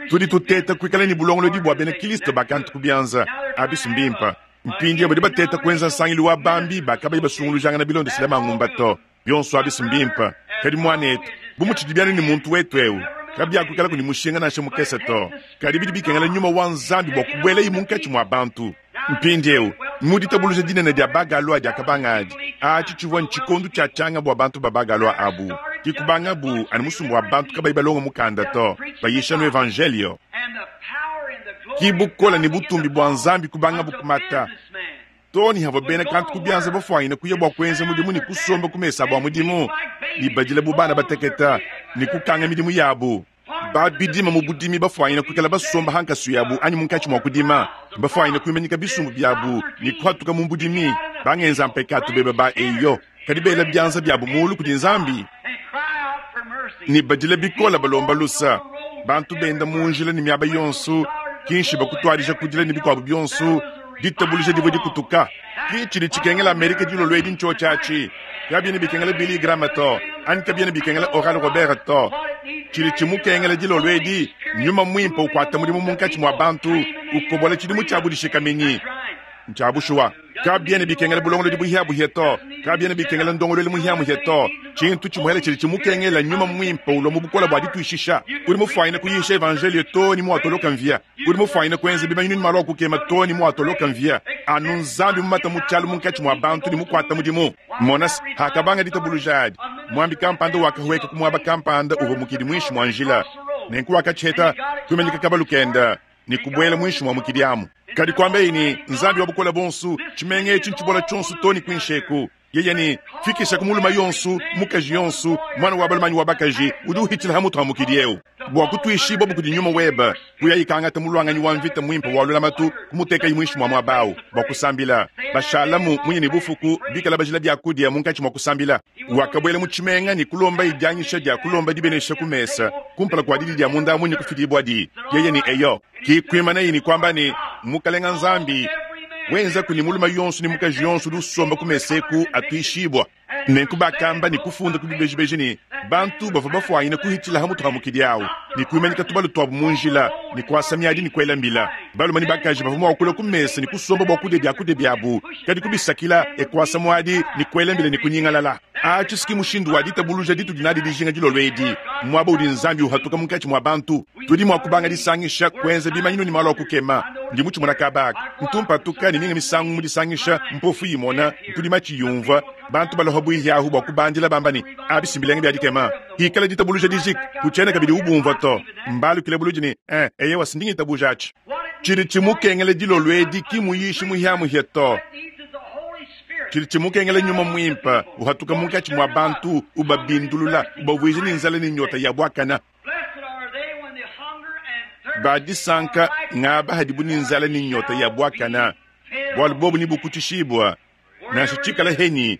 tudi tuteta kuikala ne bulongolodi bua bena Kristo ba kantu ku bianza, abi si mbimpe. Mpindieu badi bateta kuenza nsangilu wa bambi ba kabayi basungulujangana bilondeshile mangumba to. Bionso abi si mbimpe. Kadi muanetu, bu mutshidi anu ne muntu wetu eu, kabiakuikalaku ne mushinga nansha mukese to. Kadi bidi bikengela nyuma wa Nzambi bua kubuelaye munkatshi mua bantu. Mpindieu, mu ditabuluja dinene dia ba-Galois diakabanga adi, atshi tshivua ntshikondo tshia tshianga bua bantu ba ba-Galois abu. Ke kubangabu anu musumba wa bantu kabayi balonga mukanda to, bayisha anu evanjeliyo. Ke bukole ne butumbi bua Nzambi kubangabu kumata. Too ne havua bena kantu ku bianza bafuanyine kuya bua kuenza mudimu ne kusomba ku mesa abu a mudimu, ne badila bu bana batekete ne kukanga midimu yabu. Ba bidima mu budimi bafuanyine kuikala basomba ha nkasu yabu anyi munkatshi mua kudima, bafuanyine kuimanyika bisumbu biabu ne kuhatuka mu budimi, bangenza mpekatu bebe ba eyo, kadi bela bianza biabu mulu kudi Nzambi ne badila bikole balomba lusa. Bantu benda mu njila ne miaba yonso, kinshi bakutuadija kudila ne bikuabu bionso, ditabuluja divua dikutuka. Ki tshidi tshikengela Amerika dilolo edi ntshiotshi atshi. Kabiena bikengela Billy Graham to, anyi kabiena bikengela Oral Robert to. Tshidi tshimukengela dilolo edi nyuma muimpe ukuata mudimu munkatshi mua bantu, ukobola tshidimu tshia budishikaminyi. Ntshia bushuwa. Kabiena bikengela bulongolodi buhiabuhia to, kabiena bikengela ndongoluelu muhiamuhia to. Tshintu tshimuele tshidi tshimukengela nyuma muimpe ulua mu bukole bua dituishisha. Udi mufuanyine kuyisha evanjeliyo too ne muatoloka mvia. Udi mufuanyine kuenza bimanyinu ne malu a kukema too ne muatoloka mvia. Anu Nzambi mumata mu tshialu munkatshi mua bantu ne mukuata mudimu. Mona se, hakabanga ditabuluja adi, muambi kampanda wakahueka ku muaba kampanda uvua mukidi muinshi mua njila. Nenku wakatshiheta, kuimanyika kabalu kende ne kubuela muinshi mua mukidi amu. Kadi kuambaye ne, Nzambi wa Bukole Buonso, tshimenga etshi ntshibola tshionso too ne kuinshi eku. Yeye ne, Fikishaku mulume yonso, mukaji yonso, muana wa balume anyi wa bakaji udi uhitshila ha mutu ha mukidi eu, bua kutuishibua kudi nyuma webe. Kuyayi kangata muluanganyi wa mvita muimpe wa lulamatu, kumutekayi muinshi mua muaba au bua kusambila. Bashalamu munya ne bufuku, bikala bajila biakudia munkatshi mua kusambila. Wakabuela mu tshimenga ne kulombaye dianyisha dia kulomba dibenesha ku mesa kumpala kua didi dia munda munya kufidibuadi. Yeye ne, Eyo. Ke kuimanaye ne kuamba ne, Mukalenga Nzambi, wenzaku ne mulume yonso ne mukaji yonso udi usomba ku mesa eku atuishibua. Nenku bakamba ne kufunda ku bibejibeji ne, bantu bavua bafuanyine kuhitshila ha mutu ha mukidi au ne kuimanyika tubalu tuabu mu njila ne kuasa miadi ne kuela mbila. Balume ne bakaji bavua mua kulua ku mesa ne kusomba bua kudia biakudia biabu, kadi kubisakila e kuasa muadi ne kuela mbila ne kunyingalala. Atshi si ki mushindu wa ditabuluja ditudi nadi dijinga dilolo edi, muaba udi Nzambi uhatuka munkatshi mua bantu. Tudi mua kubanga disangisha, kuenza bimanyinu ne malu a kukema. Ndi mutshimona kaba aka. Ntu mpatuka ne minga misangu mu disangisha, mpofu imona, mpudi matshi yumvua, bantu balua pabuihi ahu bua kubandila bamba ne, Abi si mbilenga bia dikema! Hikala ditabuluja dijika, kutshiena kabidi ubumvua to. Mbalukile buludi ne, Eh, eyewa, si ndi ngitabuja atshi. Tshidi tshimukengela dilolo edi ki muyishi muhiamuhia to. Tshidi tshimukengela nyuma muimpe uhatuka munkatshi mua bantu, ubabindulula, ubavuija ne nzala ne nyota ya buakana. Ba disanka ngaba hadibu ne nzala ne nyota ya buakana, bualu bobu nebukutshishibua. Nansha tshikala henyi,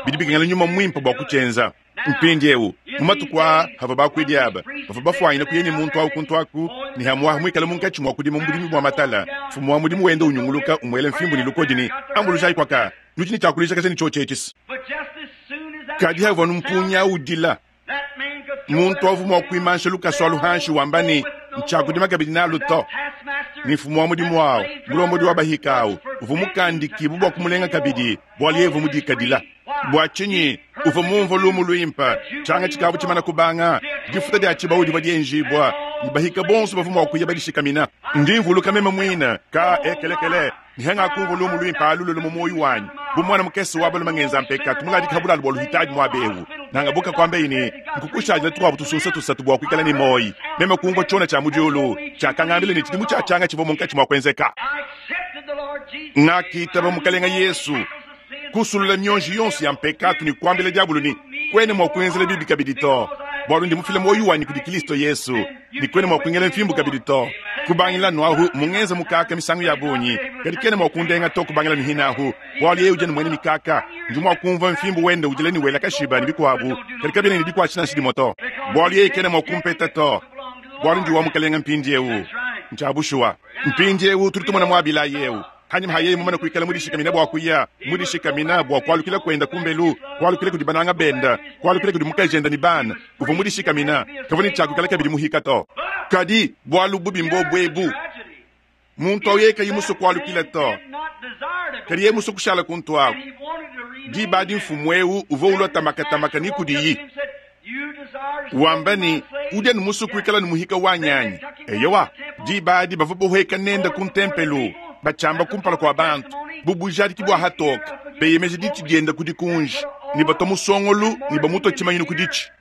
bidi bikengela nyuma muimpe bua kutshienza. Mpindiewu, mu matuku aa avua bakuidi aba bavua bafuanyine kuya ne muntu awu kuntu aku, ne hamuaha muikale munkatshi mua kudima mu budimi bua matala, mfumu wa mudimu wenda unyunguluka umuela mfimbu ne lukodi ne, Ambulujayi kuaka, nudi ne tshia kulijakaja ne tshiotshi etshis. Kadi havua mpungi awu udila, muntu avua mua kuimansha lukasu alu hanshi wamba ne, Ntshiakudima kabidi nalu to. Ne mfumu wa mudimu awu, mulombodi wa bahika awu, uvua mukandikibue bua kumulenga kabidi, bualu yeye uvua mudikadila. Bua tshinyi uvua mumvue lumu luimpe? Tshianga tshikavua tshimana kubanga, difuta dia tshibawu divua dienjibua, ne bahika bonso bavua mua kuya badishikamina. Ndi mvuluka meme muine ka ekelekele ne hangakumvua lumu luimpe alu lulu mu muoyo wanyi. Bu muana mukese wa balume ngenza mpekatu muladika ha bulalu bua luhitadi muaba eu, nangabuka kuambeyi ne, Nkukushadila tukuabu tusunsa tusatu bua kuikala ne muoyo. Meme kumvua tshiona tshia mu diulu tshiakangambila ne, tshidimu tshia tshianga tshivua munkatshi mua kuenzeka. Ngakitaba Mukalenga Yesu, kusulula mionji yonso ya mpekatu ne kuambila diabolo ne, Kuena mua kungenzela bibi kabidi to, bualu ndi mufile muoyo wanyi kudi Kristo Yesu, ne kuena mua kungela mfimbu kabidi to. Kubangila anu ahu mungenza mukaka misangu ya bungi, kadi kena mua kundenga to kubangila anu hine ahu, bualu yeye udi anu muena mikaka. Ndi mua kumvua mfimbu wende udila ne wela kashiba ne bikuabu, kadi kabiena ne dikuatshisha nansha dimue to, bualu yeye kena mua kumpeta to, bualu ndi wa Mukalenge mpindieu. Ntshia bushuwa. Mpindieu tudi tumona muabilayi eu. Hanyima ha yeye mumane kuikala mudishikamina bua kuya, mudishikamina bua kualukila kuenda kumbelu, kualukila kudi bananga benda, kualukila kudi mukajende ne bana, uvua mudishikamina, kavua ne tshia kuikala kabidi muhika to. Kadi bualu bubi mbobu ebu, muntu au yeye kayi musue kualukila to, kadi yeye musue kushala kuntu aku. Diba adi mfumu eu uvua ulua tamakatamaka ne kudiyi wamba ne, Udi anu musue kuikala ne muhika wanyi anyi? Eyowa, diba adi bavua boheka nende ku ntempelo, batshiamba kumpala kua bantu bu bujadiki bua hatoke, beyemeja ditshi diende ku dikunji ne batua musongolu ne bamutua tshimanyinu ku ditshi.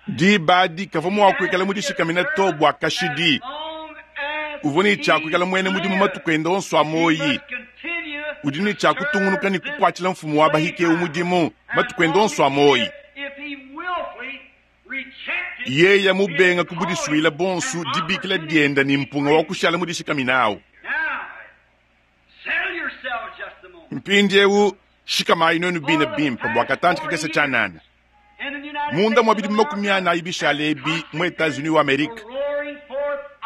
Diba adi kavua mua kuikala mudishikamine to bua kashidi. Uvua ne tshia kuikala muena mudimu matuku ende onso a muoyi. Udi ne tshia kutungunuka ne kukuatshila mfumu wa bahika eu mudimu matuku ende onso a muoyi. Yeye mubenga ku budisuile buonso dibikila diende ne mpunga wa kushala mudishikamine au. Mpindieu shikamayi nuenu bine bimpe bua katantshi kakese tshianana. Munda mua bidimu 40 bishale ebi mu Etats-Unis wa Amerike,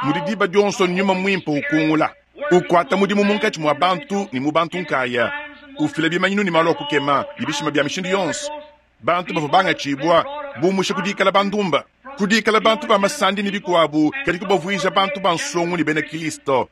mudi diba dionso nyuma muimpe ukungula, ukuata mudimu munkatshi mua bantu ne mu bantu nkaya, ufila bimanyinu ne malu a kukema ne bishima bia mishindu yonso. Bantu bavua bangatshibua bumusha ku dikala bandumba, ku dikala bantu ba masandi ne bikuabu, kadi kubavuija bantu ba nsongo ne bena Kristo.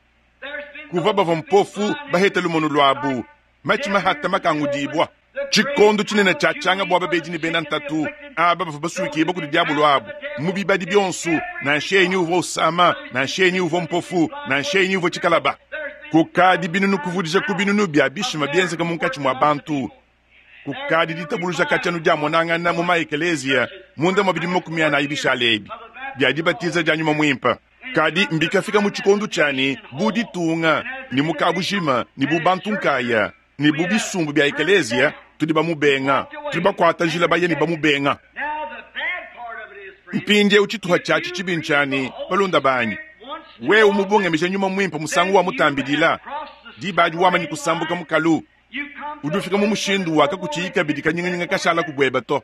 Kuvua bavua mpofu baheta lumonu luabu, matshi mahata makangudibua. Tshikondo tshinene tshia tshianga bua babedi ne bena ntatu aba bavua basuikibua kudi diabolo abu mu bibadi bionso, nansha enyi uvua usama, nansha enyi uvua mpofu, nansha enyi uvua tshikalaba. Kukadi binunu kuvudija ku binunu bia bishima bienzeka munkatshi mua bantu. Kukadi ditabuluja katshia diamonangana mu ma-ekeleziya munda mua bidimu 40 bishale ebi bia dibatiza dia nyuma muimpe. Kadi mbikafika mu tshikondo tshia ne, bu ditunga, ne mu kabujima, ne bu bantu nkaya, ne bu bisumbu bia ekeleziya, tudi bamubenga, tudi bakuata njila baya ne bamubenga. Mpindieu tshituha tshiatshi tshibi ntshia ne, balunda banyi, wewe mubungamija nyuma muimpe musangu wa mutambidila, diba adi wamanyi kusambuka mukalu, udi ufika mu mushindu wa kakutshiyi kabidi kanyinganyinga kashala ku bueba to.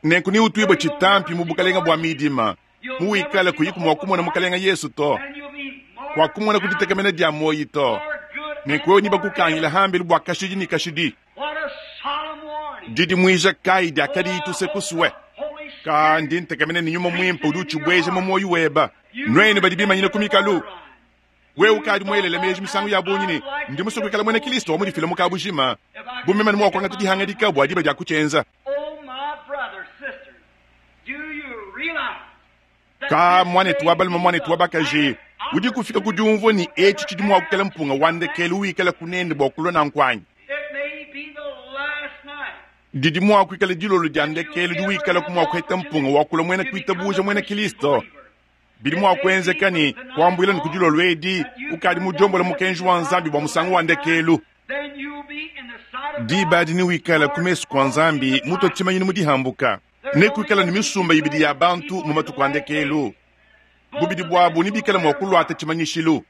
Nenku neutuibue tshitampi mu bukalenga bua midima, muwikale kuyiku mua kumona Mukalenga Yesu to, kuakumona ku ditekemena dia muoyi to. Nenku wewe nebakukangile hambelu bua kashidi ne kashidi. Didimuija kayi diakadiyi tuse kusue? Ka ndi ntekemena ne nyuma muimpe udi utshibueja mu muoyo weba. Nuenu badi bimanyine ku mikalu, wewe ukadi muelele meji misangu ya bungi ne, ndi musue kuikala muena Kristo wa mudifile mu kabujima, bu meme mua kuangata dihangadika bua diba dia kutshienza. Ka muanetu wa balume, muanetu wa bakaji, udi kufika ku diumvua ne etshi tshidi mua kuikala mpunga wa ndekelu wikala kunende bua kulua nanku anyi? Didi mua kuikala dilolo dia ndekelu diwikala ku mua kuheta mpunga wa kulua muena kuitabuja muena Kristo. Bidi mua kuenzeka ne kuambuila ne ku dilolo edi ukadi mudiombola mukenji wa Nzambi bua musangu wa ndekelu. Diba adi newikale ku mesu kua Nzambi mutue tshimanyinu mu dihambuka. Nekuikale ne misumba ibidi ya bantu mu matuku a ndekelu, bubidi buabu nebikale mua kuluata tshimanyishilu.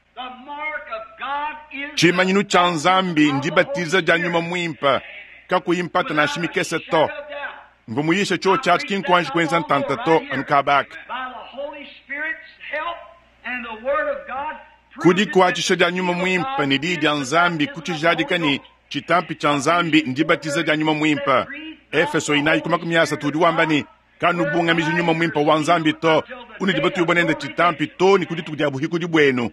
Tshimanyinu tshia Nzambi ndibatiza dia Nyuma Muimpe, kakuyi mpata nansha mikese to. Mvua muyishe tshiotshi atshi ki nkuanji kuenza ntanta to, anu kaba aka. Ku dikuatshisha dia Nyuma Muimpe ne Diyi dia Nzambi kutshijadika ne, tshitampi tshia Nzambi ndibatiza dia Nyuma Muimpe. Efeso inayi ku 30 udi wamba ne, Kanubungamiji Nyuma Muimpe wa Nzambi to, unudi batuibue nende tshitampi too ne ku dituku dia buhikudi buenu.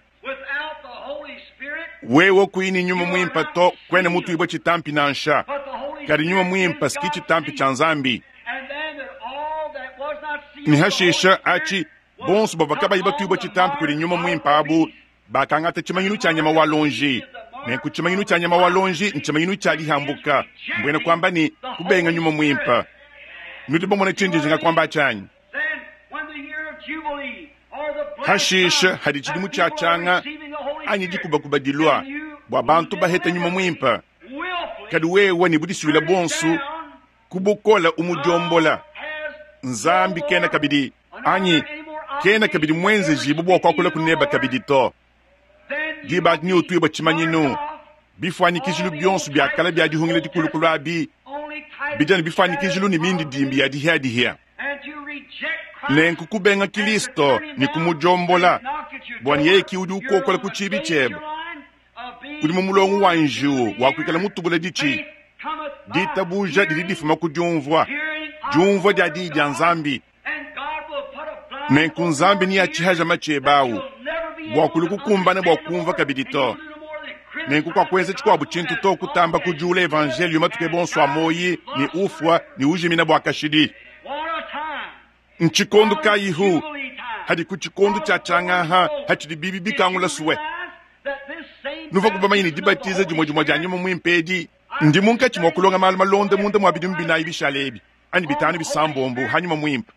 Wewe kuyi ne Nyuma Muimpe to, kuena mutuibue tshitampi nansha. Kadi Nyuma Muimpe ski tshitampi tshia Nzambi. Ne hashisha atshi, bonso bavua kabayi batuibue tshitampi kudi Nyuma Muimpe abu bakangata tshimanyinu tshia nyama wa luonji. Nenku tshimanyinu tshia nyama wa luonji ntshimanyinu tshia dihambuka, mbuena kuamba ne, kubenga Nyuma Muimpe. Nudi bamone tshindi njinga kuamba atshi anyi? Hashisha hadi tshidimu tshia tshianga anyi dikubakuba dilua bua bantu baheta Nyuma Muimpe, kadi wewe ne budisuile buonso ku bukole umudiombola, Nzambi kena kabidi anyi kena kabidi muenzejibue bua kuakula ku neba kabidi to. Diba adi neutuibue tshimanyinu, bifuanyikijilu bionso bia kale bia dihungila dikulukulu abi bidi anu bifuanyikijilu ne mindidimbi ya dihiadihia. Nenku kubenga Kilisto ne kumudiombola, bua ne yeye ki udi ukokola ku tshibi tshiebe, udi mu mulongo wa njiwu wa kuikala mutubula ditshi. Ditabuja didi difuma ku diumvua, diumvua dia Diyi dia Nzambi. Nenku Nzambi neatshihaja matshi ebe awu bua kulu kukumbana bua kumvua kabidi to. Nenku kuakuenza tshikuabu tshintu to kutamba kudiula evanjeliyo matuku ebe onso a muoyi ne ufua ne ujimina bua kashidi. Ntshikondo kayihu hadi ku tshikondo tshia tshiangaha hatshidi bibi bikangula sue? Nuvua bamanye ne dibatiza dimue dimue dia Nyuma Muimpe edi ndi munkatshi mua kulonga malu malonde munda mua bidimu binayi bishale ebi anyi bitanu bisambombo ha Nyuma Muimpe,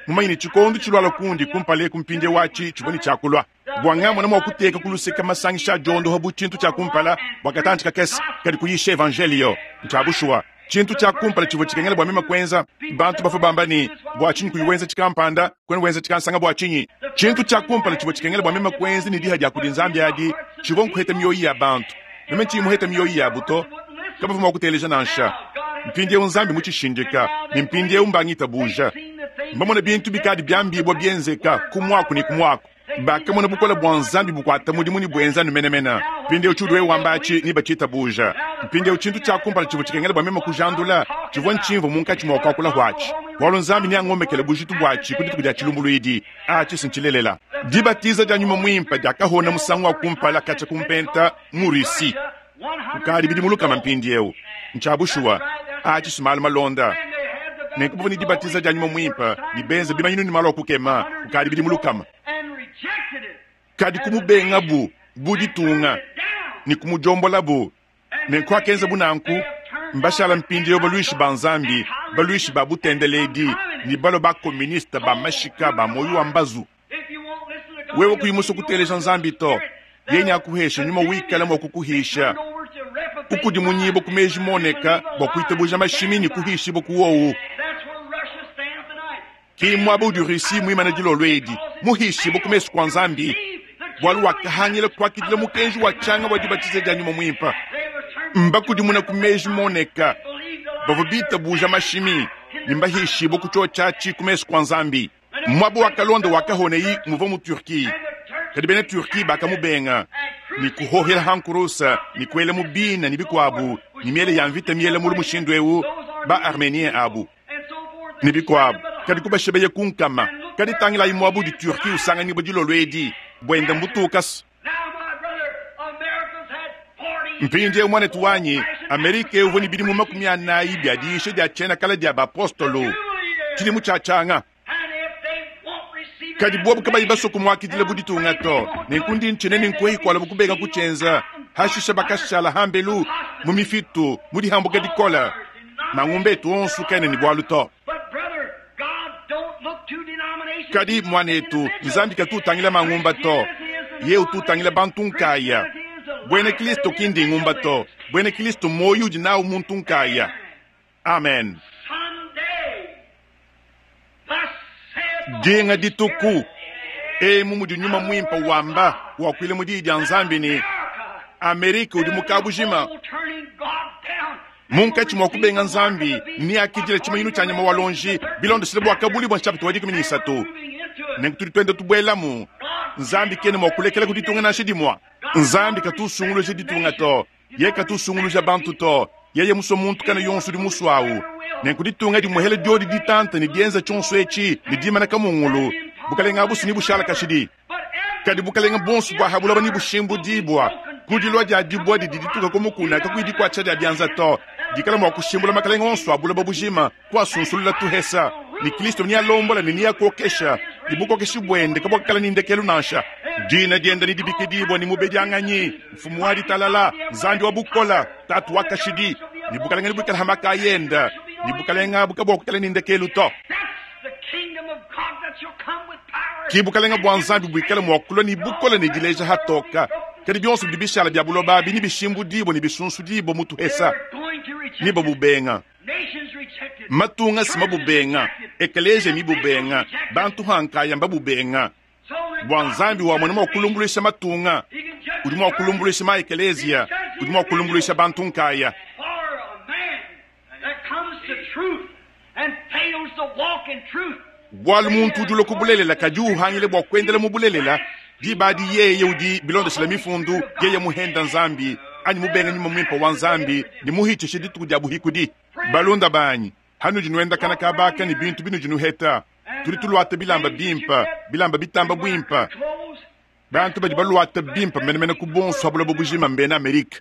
mumanye ne tshikondo tshilualua kundi kumpala eku mpindieu atshi tshivua ne tshiakulua bua ngamona mua kuteka ku luseke masangisha a diondoha bu tshintu tshia kumpala bua katantshi kakese, kadi kuyisha evanjeliyo ntshia bushuwa. Tshintu tshia kumpala tshivua tshikengela bua meme kuenza, bantu bavua bamba ne, bua tshinyi kuyi wenza tshikampanda, kuena wenza tshikansanga bua tshinyi? Tshintu tshia kumpala tshivua tshikengela bua meme kuenza ne diha dia kudi Nzambi adi, tshivua nkuheta mioyo ya bantu. Meme ntshiyi muheta mioyo yabu to, kabavua mua kuteleja nansha. Mpindieu Nzambi mutshishindika, ne mpindieu mbangitabuja. Mbamone bintu bikadi biambibua bienzeka ku muaku ne ku muaku. Bakamona bukole bua Nzambi bukuata mudimu ne buenza anu menemene. Mpindieu tshiudi wewe wamba atshi nebatshitabuja. Mpindieu tshintu tshia kumpala tshivua tshikengela bua meme kujandula tshivua ntshimvua munkatshi mua kuakula huatshi, bualu Nzambi neangomekele bujitu buatshi ku dituku dia tshilumbuluidi. Atshi si ntshilelela. Dibatiza dia Nyuma Muimpe diakahona musangu wa kumpala katshia ku Mpenta mu Russie kukadi bidimu lukama mpindieu. Ntshia bushuwa, atshi si malu malonda. Nenku bavua ne dibatiza dia Nyuma Muimpe ne benza bimanyinu ne malu a kukema kukadi bidimu lukama. Kadi kumubengabu bu ditunga ne kumudiombolabu. Nenku akenzabu nanku, mbashala mpindieu baluishi ba Nzambi, baluishi ba butendeledi ne balua ba-koministe ba mashika ba muoyo wa mbazu. Wewe kuyi musue kuteleja Nzambi to, yeye neakuheshe nyuma wikala mua kukuhisha ukudimunyibua ku meji moneka bua kuitabuja mashimi ne kuhishibua ku wowu. Ki muaba udi Russie muimane dilolo edi, muhishibue ku mesu kua Nzambi, bualu wakahangila kuakidila mukenji wa tshianga wa dibatiza dia Nyuma Muimpe. Mbakudimuna ku meji moneka, bavua bitabuja mashimi ne mbahishibue ku tshiotshi ku mesu kua Nzambi. Muaba wakalonda wakahonei muvua mu Turquie, kadi bena Turquie bakamubenga ne kuhohela hankurusa ne kuela mu bina ne bikuabu ne miele ya mvita miela mulu mushindu eu ba Armenien abu ne bikuabu, kadi kubashebeye ku nkama. Kadi tangilayi muaba udi Turquie usanganyibua dilolo edi, buenda mbutukas. Mpindieu muanetu wanyi, Amerika uvua ne bidimu 40 bia diyisha dia tshiena kale dia bapostolo, tshidimu tshia tshianga. Kadi bobu kabayi basue kumuakidila bu ditunga to, nenku ndi ntshina ne nkuehi kualabu kubenga kutshienza. Hashisha bakashala hambelu mu mifitu mu dihambuka dikole. Mangumba etu onso kaena ne bualu to. Kadi muanetu, Nzambi katu utangila mangumba to, ye utu utangila bantu nkaya. Buena Kristo ki ndingumba to, buena Kristo muoyo udi nawu muntu nkaya. Amen. Dinga dituku emu mudi Nyuma Muimpe wamba wakuila mu Diyi dia Nzambi ne, Amerika udi mu kabujima. Munkatshi mua kubenga Nzambi, neakidile tshimanyinu tshia nyama wa luonji bilondeshile Buakabuluibua bua nshapita wa 13. Nenku tudi tuenda tubuelamu. Nzambi kena mua kulekela ku ditunga nansha dimue. Nzambi katu usunguluja ditunga to. Yeye katu usunguluja bantu to. Yeye musue muntu kana yonso udi musue awu. Nenku ditunga dimuehele diodi ditanta ne dienza tshionso etshi ne dimana kamungulu, bukalenge abusu nebushala kashidi. Kadi bukalenge buonso bua ha buloba nebushimbudibua ku dilua dia dibua didi dituka ku mukuna kakuyi dikuatshisha dia bianza to, dikala mua kushimbula makalenge onso a buloba bujima, kuasunsulula tuhesa, ne Kristo nealombola ne neakokesha, ne bukokeshi buende kabuakikala ne ndekelu nansha. Dina diende nedibikidibua ne Mubedianganyi, Mfumu wa Ditalala, Nzambi wa Bukole, Tatu wa Kashidi, ne bukalenge nebuikale ha makaya ende, ne bukalenge abu kabuakukala ne ndekelu to. Ki bukalenge bua Nzambi buikale mua kulua ne bukole ne dileja hatoka, kadi bionso bidi bishala bia buloba abi nebishimbudibue ne bisunsudibue mu tuhesa, ne babubenga. Matunga si mabubenga, ekeleziya mibubenga, bantu ha nkaya mbabubenga. Bua Nzambi wamona mua kulumbuluisha matunga, udi mua kulumbuluisha ma ekeleziya, udi mua kulumbuluisha bantu nkaya. Bualu muntu udi ulua ku bulelela kadi uhangila bua kuendela mu bulelela, diba adi yeye udi, bilondeshile Mifundu, yeye muhenda Nzambi, anyi mubenga Nyuma Muimpe wa Nzambi ne muhitshishe dituku dia buhikudi. Balunda banyi, hanudi nuendakana kaba aka ne bintu binudi nuheta, tudi tuluata bilamba bimpe, bilamba bitamba buimpe. Bantu badi baluata bimpe menemene ku bonso ha buloba bujima mbena Amerike.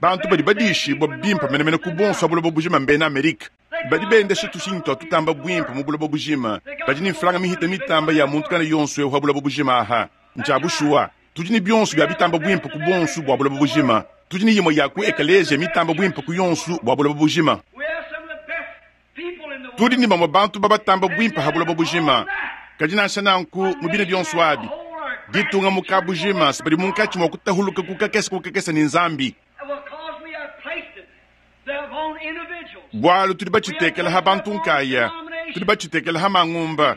Bantu badi badiishibua bimpe menemene ku buonso ha buloba bujima mbena Amerike. Badi bendesha tushinyi tua tutamba buimpe mu buloba bujima. Badi ne mfranga mihite mitamba ya muntu kana yonso eu ha buloba bujima aha. Ntshia bushuwa, tudi ne bionso bia bitamba buimpe ku buonso bua buloba bujima. Tudi ne imue ya ku ekeleziya mitamba buimpe ku yonso bua buloba bujima. Tudi ne bamue bantu ba batamba buimpe ha buloba bujima. Kadi nansha nanku, mu bine bionso abi, ditunga mu kabujima badi munkatshi mua kutahuluka ku kakese ku kakese ne Nzambi. Bualu tudi batshitekela ha bantu nkaya, tudi batshitekela ha mangumba,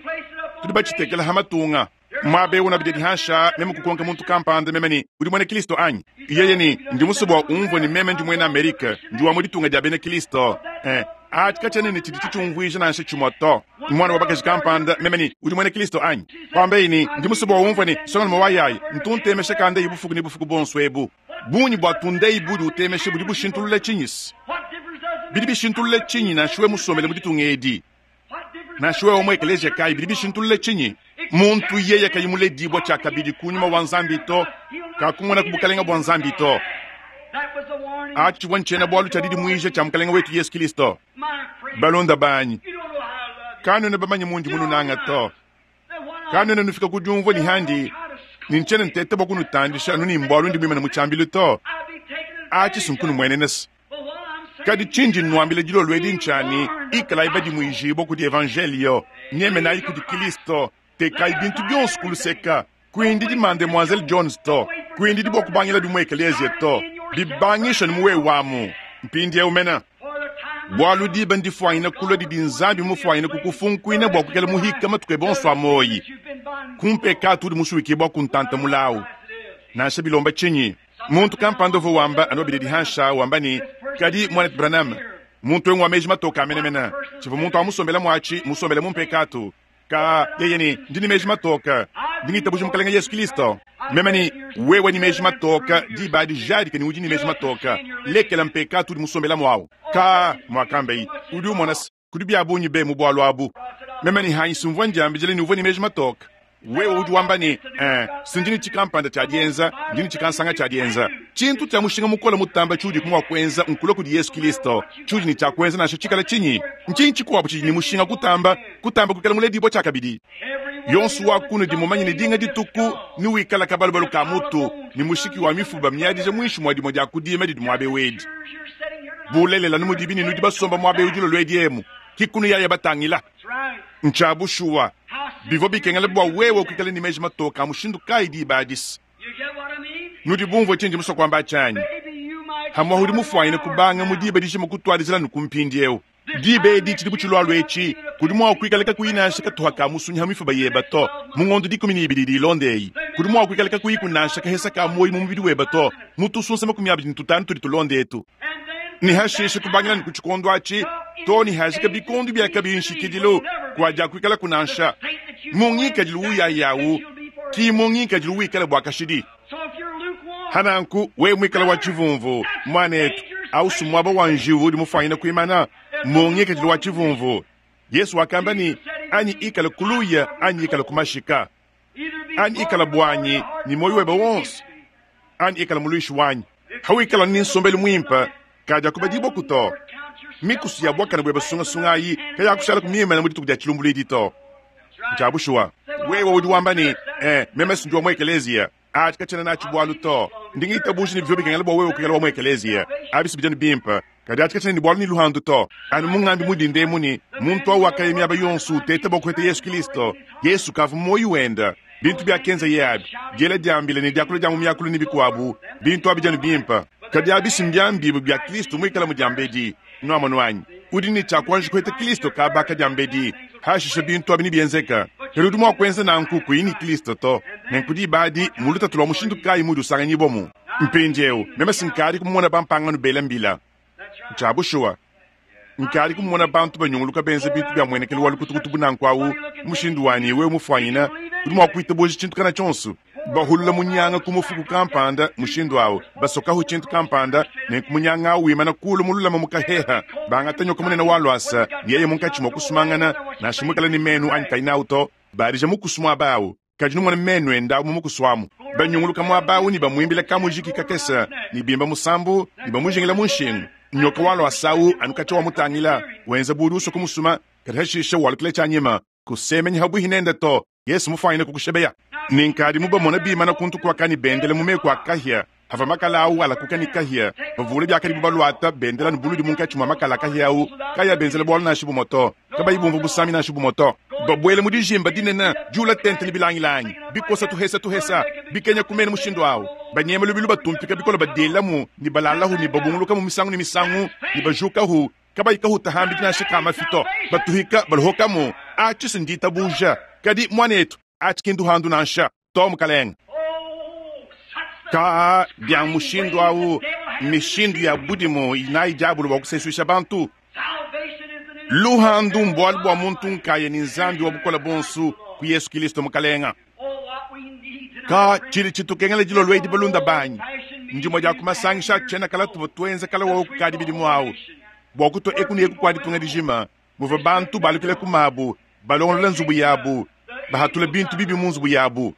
tudi batshitekela ha matunga. Muaba eu nabidi dihansha, meme kukonka muntu kampanda meme ne, udi muena Kristo anyi? Yeye ne, ndi musue bua umvue ne meme ndi muena Amerike, ndi wa mu ditunga dia bena Kristo. Eh, atshi katshiena ne tshidi tshitshiumvuija nansha tshimue to. Muana wa bakaji kampanda, meme ne, udi muena Kristo anyi? Kuambaye ne, ndi musue bua umvue ne, nsongalume wa yayi, ntu ntemesha kandeyi bufuku ne bufuku buonso ebu. Bungi bua tundeyi budi utemesha budi bushintulula tshinyi? Bidi bishintulula tshinyi nansha wewe musombele mu ditunga edi? Nansha wewe mu ekeleziya kayi, bidi bishintulula tshinyi? Muntu yeye kayi muledibua tshiakabidi ku nyuma wa Nzambi to, kakumona ku bukalenge bua Nzambi to. Atshi tshivua ntshiena-bualu tshia didimuija tshia Mukalenge wetu Yesu Kristo. Balunda banyi, kanuena bamanye mundi mununanga to. Kanuena nufika ku diumvua ne handi ne ntshiena nteta bua kunutandisha anu ne mbualu ndi muimane mu tshiambilu to. Atshi si nkunumuenena se. Kadi tshindi nnuambila dilolo edi ntshia ne, ikalayi badimuijibua kudi Evanjeliyo, nyemenayi kudi Kristo, tekayi bintu bionso ku luseka. Kuindidi Mademoiselle Jones to, kuindidi bua kubangilabi mu ekeleziya to, bibangisha ne mu wewe amu, mpindieu mene. Bualu diba ndifuanyine kulua didi Nzambi mufuanyine kukufunkuina bua kuikala muhika matuku ebe onso a muoyi ku mpekatu udi musuikibua ku ntanta mulawu, nansha bilomba tshinyi. Muntu kampanda uvua wamba anu babidi dihansha wamba ne, Kadi, Muanetu Branham, muntu eu ngua meji matoke a menemene. Tshivua muntu wa musombela muatshi, musombele mu mpekatu. Ka, yeye ne, ndi ne meji matoke. Ndi ngitabuja Mukalenge Yesu Kristo. Meme ne, wewe ne meji matoke, diba adi jadika ne udi ne meji matoke. Lekela mpekatu udi musombela muawu. Ka, muakambaye, udi umona se, Kudi bia bungi be mu bualu abu. Meme ne Heinz mvua ndiambidila ne uvua ne meji matoke. Wewe udi wamba ne, eh, si ndi ne tshikampanda tshia dienza, ndi ne tshikansanga tshia dienza. Tshintu tshia mushinga mukole mutambe tshiudi mua kuenza nkulua kudi Yesu Kristo. Tshiudi ne tshia kuenza nansha tshikala tshinyi? Ntshinyi tshikuabu tshidi ne mushinga kutamba, kutamba kuikala muledibue tshiakabidi? Yonso wa kunudi mumanye ne dinga dituku newikala kabalubalu ka mutu ne mushiki wa mifuba miadija muinshi mua dimue dia ku dima didi muaba eu edi. Bulelela, nu mudibi ne nudi basomba muaba eu dilolo edi emu, ki kunu yaya batangila. Ntshia bushuwa, bivua bikengela bua wewe kuikala ne meji matoke a mushindu kayi diba adi-se? Nudi bumvue tshindi musue kuamba atshi anyi? Pamu'apa udi mufuanyine kubanga mu diba dijima kutuadijila anu ku mpindieu. Diba edi tshidi bu tshilualua etshi, kudi mua kuikala kakuyi nansha katuha ka musunyi ha mifuba yeba to mu ngondo 12 idi ilonda eyi. Kudi mwa kwikala kakuyiku nansha kahesa ka mwoyi mu mubidi webe to, mu tusunsa 25 tudi tulonda etu. Ne hashishe kubangila ne ku tshikondo atshi too ne hajika bikondo bia kabiyi nshikidilu, kuadiakuikalaku nansha mu ngikadilu uyayawu, ki mu ngikadilu wikala bua kashidi. Hananku wewe muikala wa tshivumvu, muanetu, au si muaba wa njiwu udi mufuanyine kuimana mu ngikadilu wa tshivumvu. Yesu wakamba ne, anyi ikala kuluya anyi ikala kumashika, anyi ikala buanyi ne muoyo webe wonso, anyi ikala muluishi wanyi. Hawikala ne nsombelu muimpe, kadiakubadibua to. Mikusu ya buakane buebe sungasunga ayi kayakushala kumimana mu dituku dia tshilumbuluidi to. Ntshia bushuwa. Wewe udi wamba ne, Eh, meme si ndi wa mu ekeleziya. Atshi katshiena natshi bualu to. Ndi ngitabuja ne bivua bikengela bua wewe kuikala wa mu ekeleziya. Abi si bidi bimpe. Kadi atshi katshiena ne bualu ne luhandu to. Anu mungambi mu dinda emu ne, muntu au wakaya miaba yonso uteta bua kuheta Yesu Kilisto. Yesu kavua mu muoyo wende. Bintu biakenzaye abi, diela dia mbila ne diakula dia mu miakulu ne bikuabu, bintu abi dianu bimpe. Kadi abi si mbiambibue bia Kilisto muikale mu diambedi. Nuamonu anyi? Udi ne tshia kuanji kuheta Kilisto kaba ka diambedi, hashishe bintu abi nebienzeke. Kadi udi mua kuenza nanku kuyi ne Kilisto to. Nenku diba adi, mu lutatu lua mushindu kayi muudi usanganyibuamu? Mpindieu, meme si nkadi kumona bampangano bela mbila. Ntshia bushuwa. Nkadi kumona bantu banyunguluka benza bintu bia muenekelu wa lukutukutu bu nanku awu, mushindu wa ne wewe mufuanyina, udi mua kuitabuja tshintu kana tshionso. Bahulula munyanga ku mufuku kampanda mushindu awu, basokahu tshintu kampanda, nenku munyanga awu wimana kulu mululama mu kaheha, bangata nyoka munene wa luasa, ne yeye munkatshi mua kusumangana, nansha muikale ne menu anyi kayi nawu to, badija mukusu muaba awu. Kadi numone menu ende awu mu mukusu amu. Banyunguluka muaba awu ne bamuimbila kamujiki kakese, ne bimba musambu, ne bamujingila mu nshingu. Nyoka wa luasa awu anu katshia wamutangila, wenza bu udi usua kumusuma, kadi hashishe walukila tshianyima, kusemenyi habuihi nende to. Yesu mufuanyine kukushebeya. Ne nkadi mubamona bimana kuntu kuaka ne bendela mu meku a kahia, havua makala awu alakuka ne kahia, bavule biakadibu baluata bendela ne buludi munkatshi mua makala a kahia awu, kayi abenzela bualu nansha bumue to, kabayi bumvua busami nansha bumue to. Babuele mu dijimba dinene diula tente ne bilangilangi, bikosa tuhesa tuhesa, bikenya ku menu mushindu awu, banyema lubilu batumpika bikole badielamu ne balalahu ne babungulukamu misangu ne misangu ne bajukahu, kabayi kahuta hambidi nansha ka mafi to, batuhika baluhokamu. Atshi si nditabuja. Kadi, muanetu, atshi ki nduhandu nansha to, mukalenge. Ka bia mushindu au, mishindu ya budimu inayi diabolo bua kusesuisha bantu. Luhandu mbualu bua muntu nkaya ne Nzambi wa bukole buonso ku Yesu Kilisto Mukalenga. Ka tshidi tshitukengela dilolo edi balunda banyi, ndimue dia ku masangisha a tshiena kala tuvua tuenza kala wawu kukadi bidimu awu bua kutua eku ne eku kua ditunga dijima muvua bantu balukila ku mabu, balongolola nzubu yabu, bahatula bintu bibi mu nzubu yabu,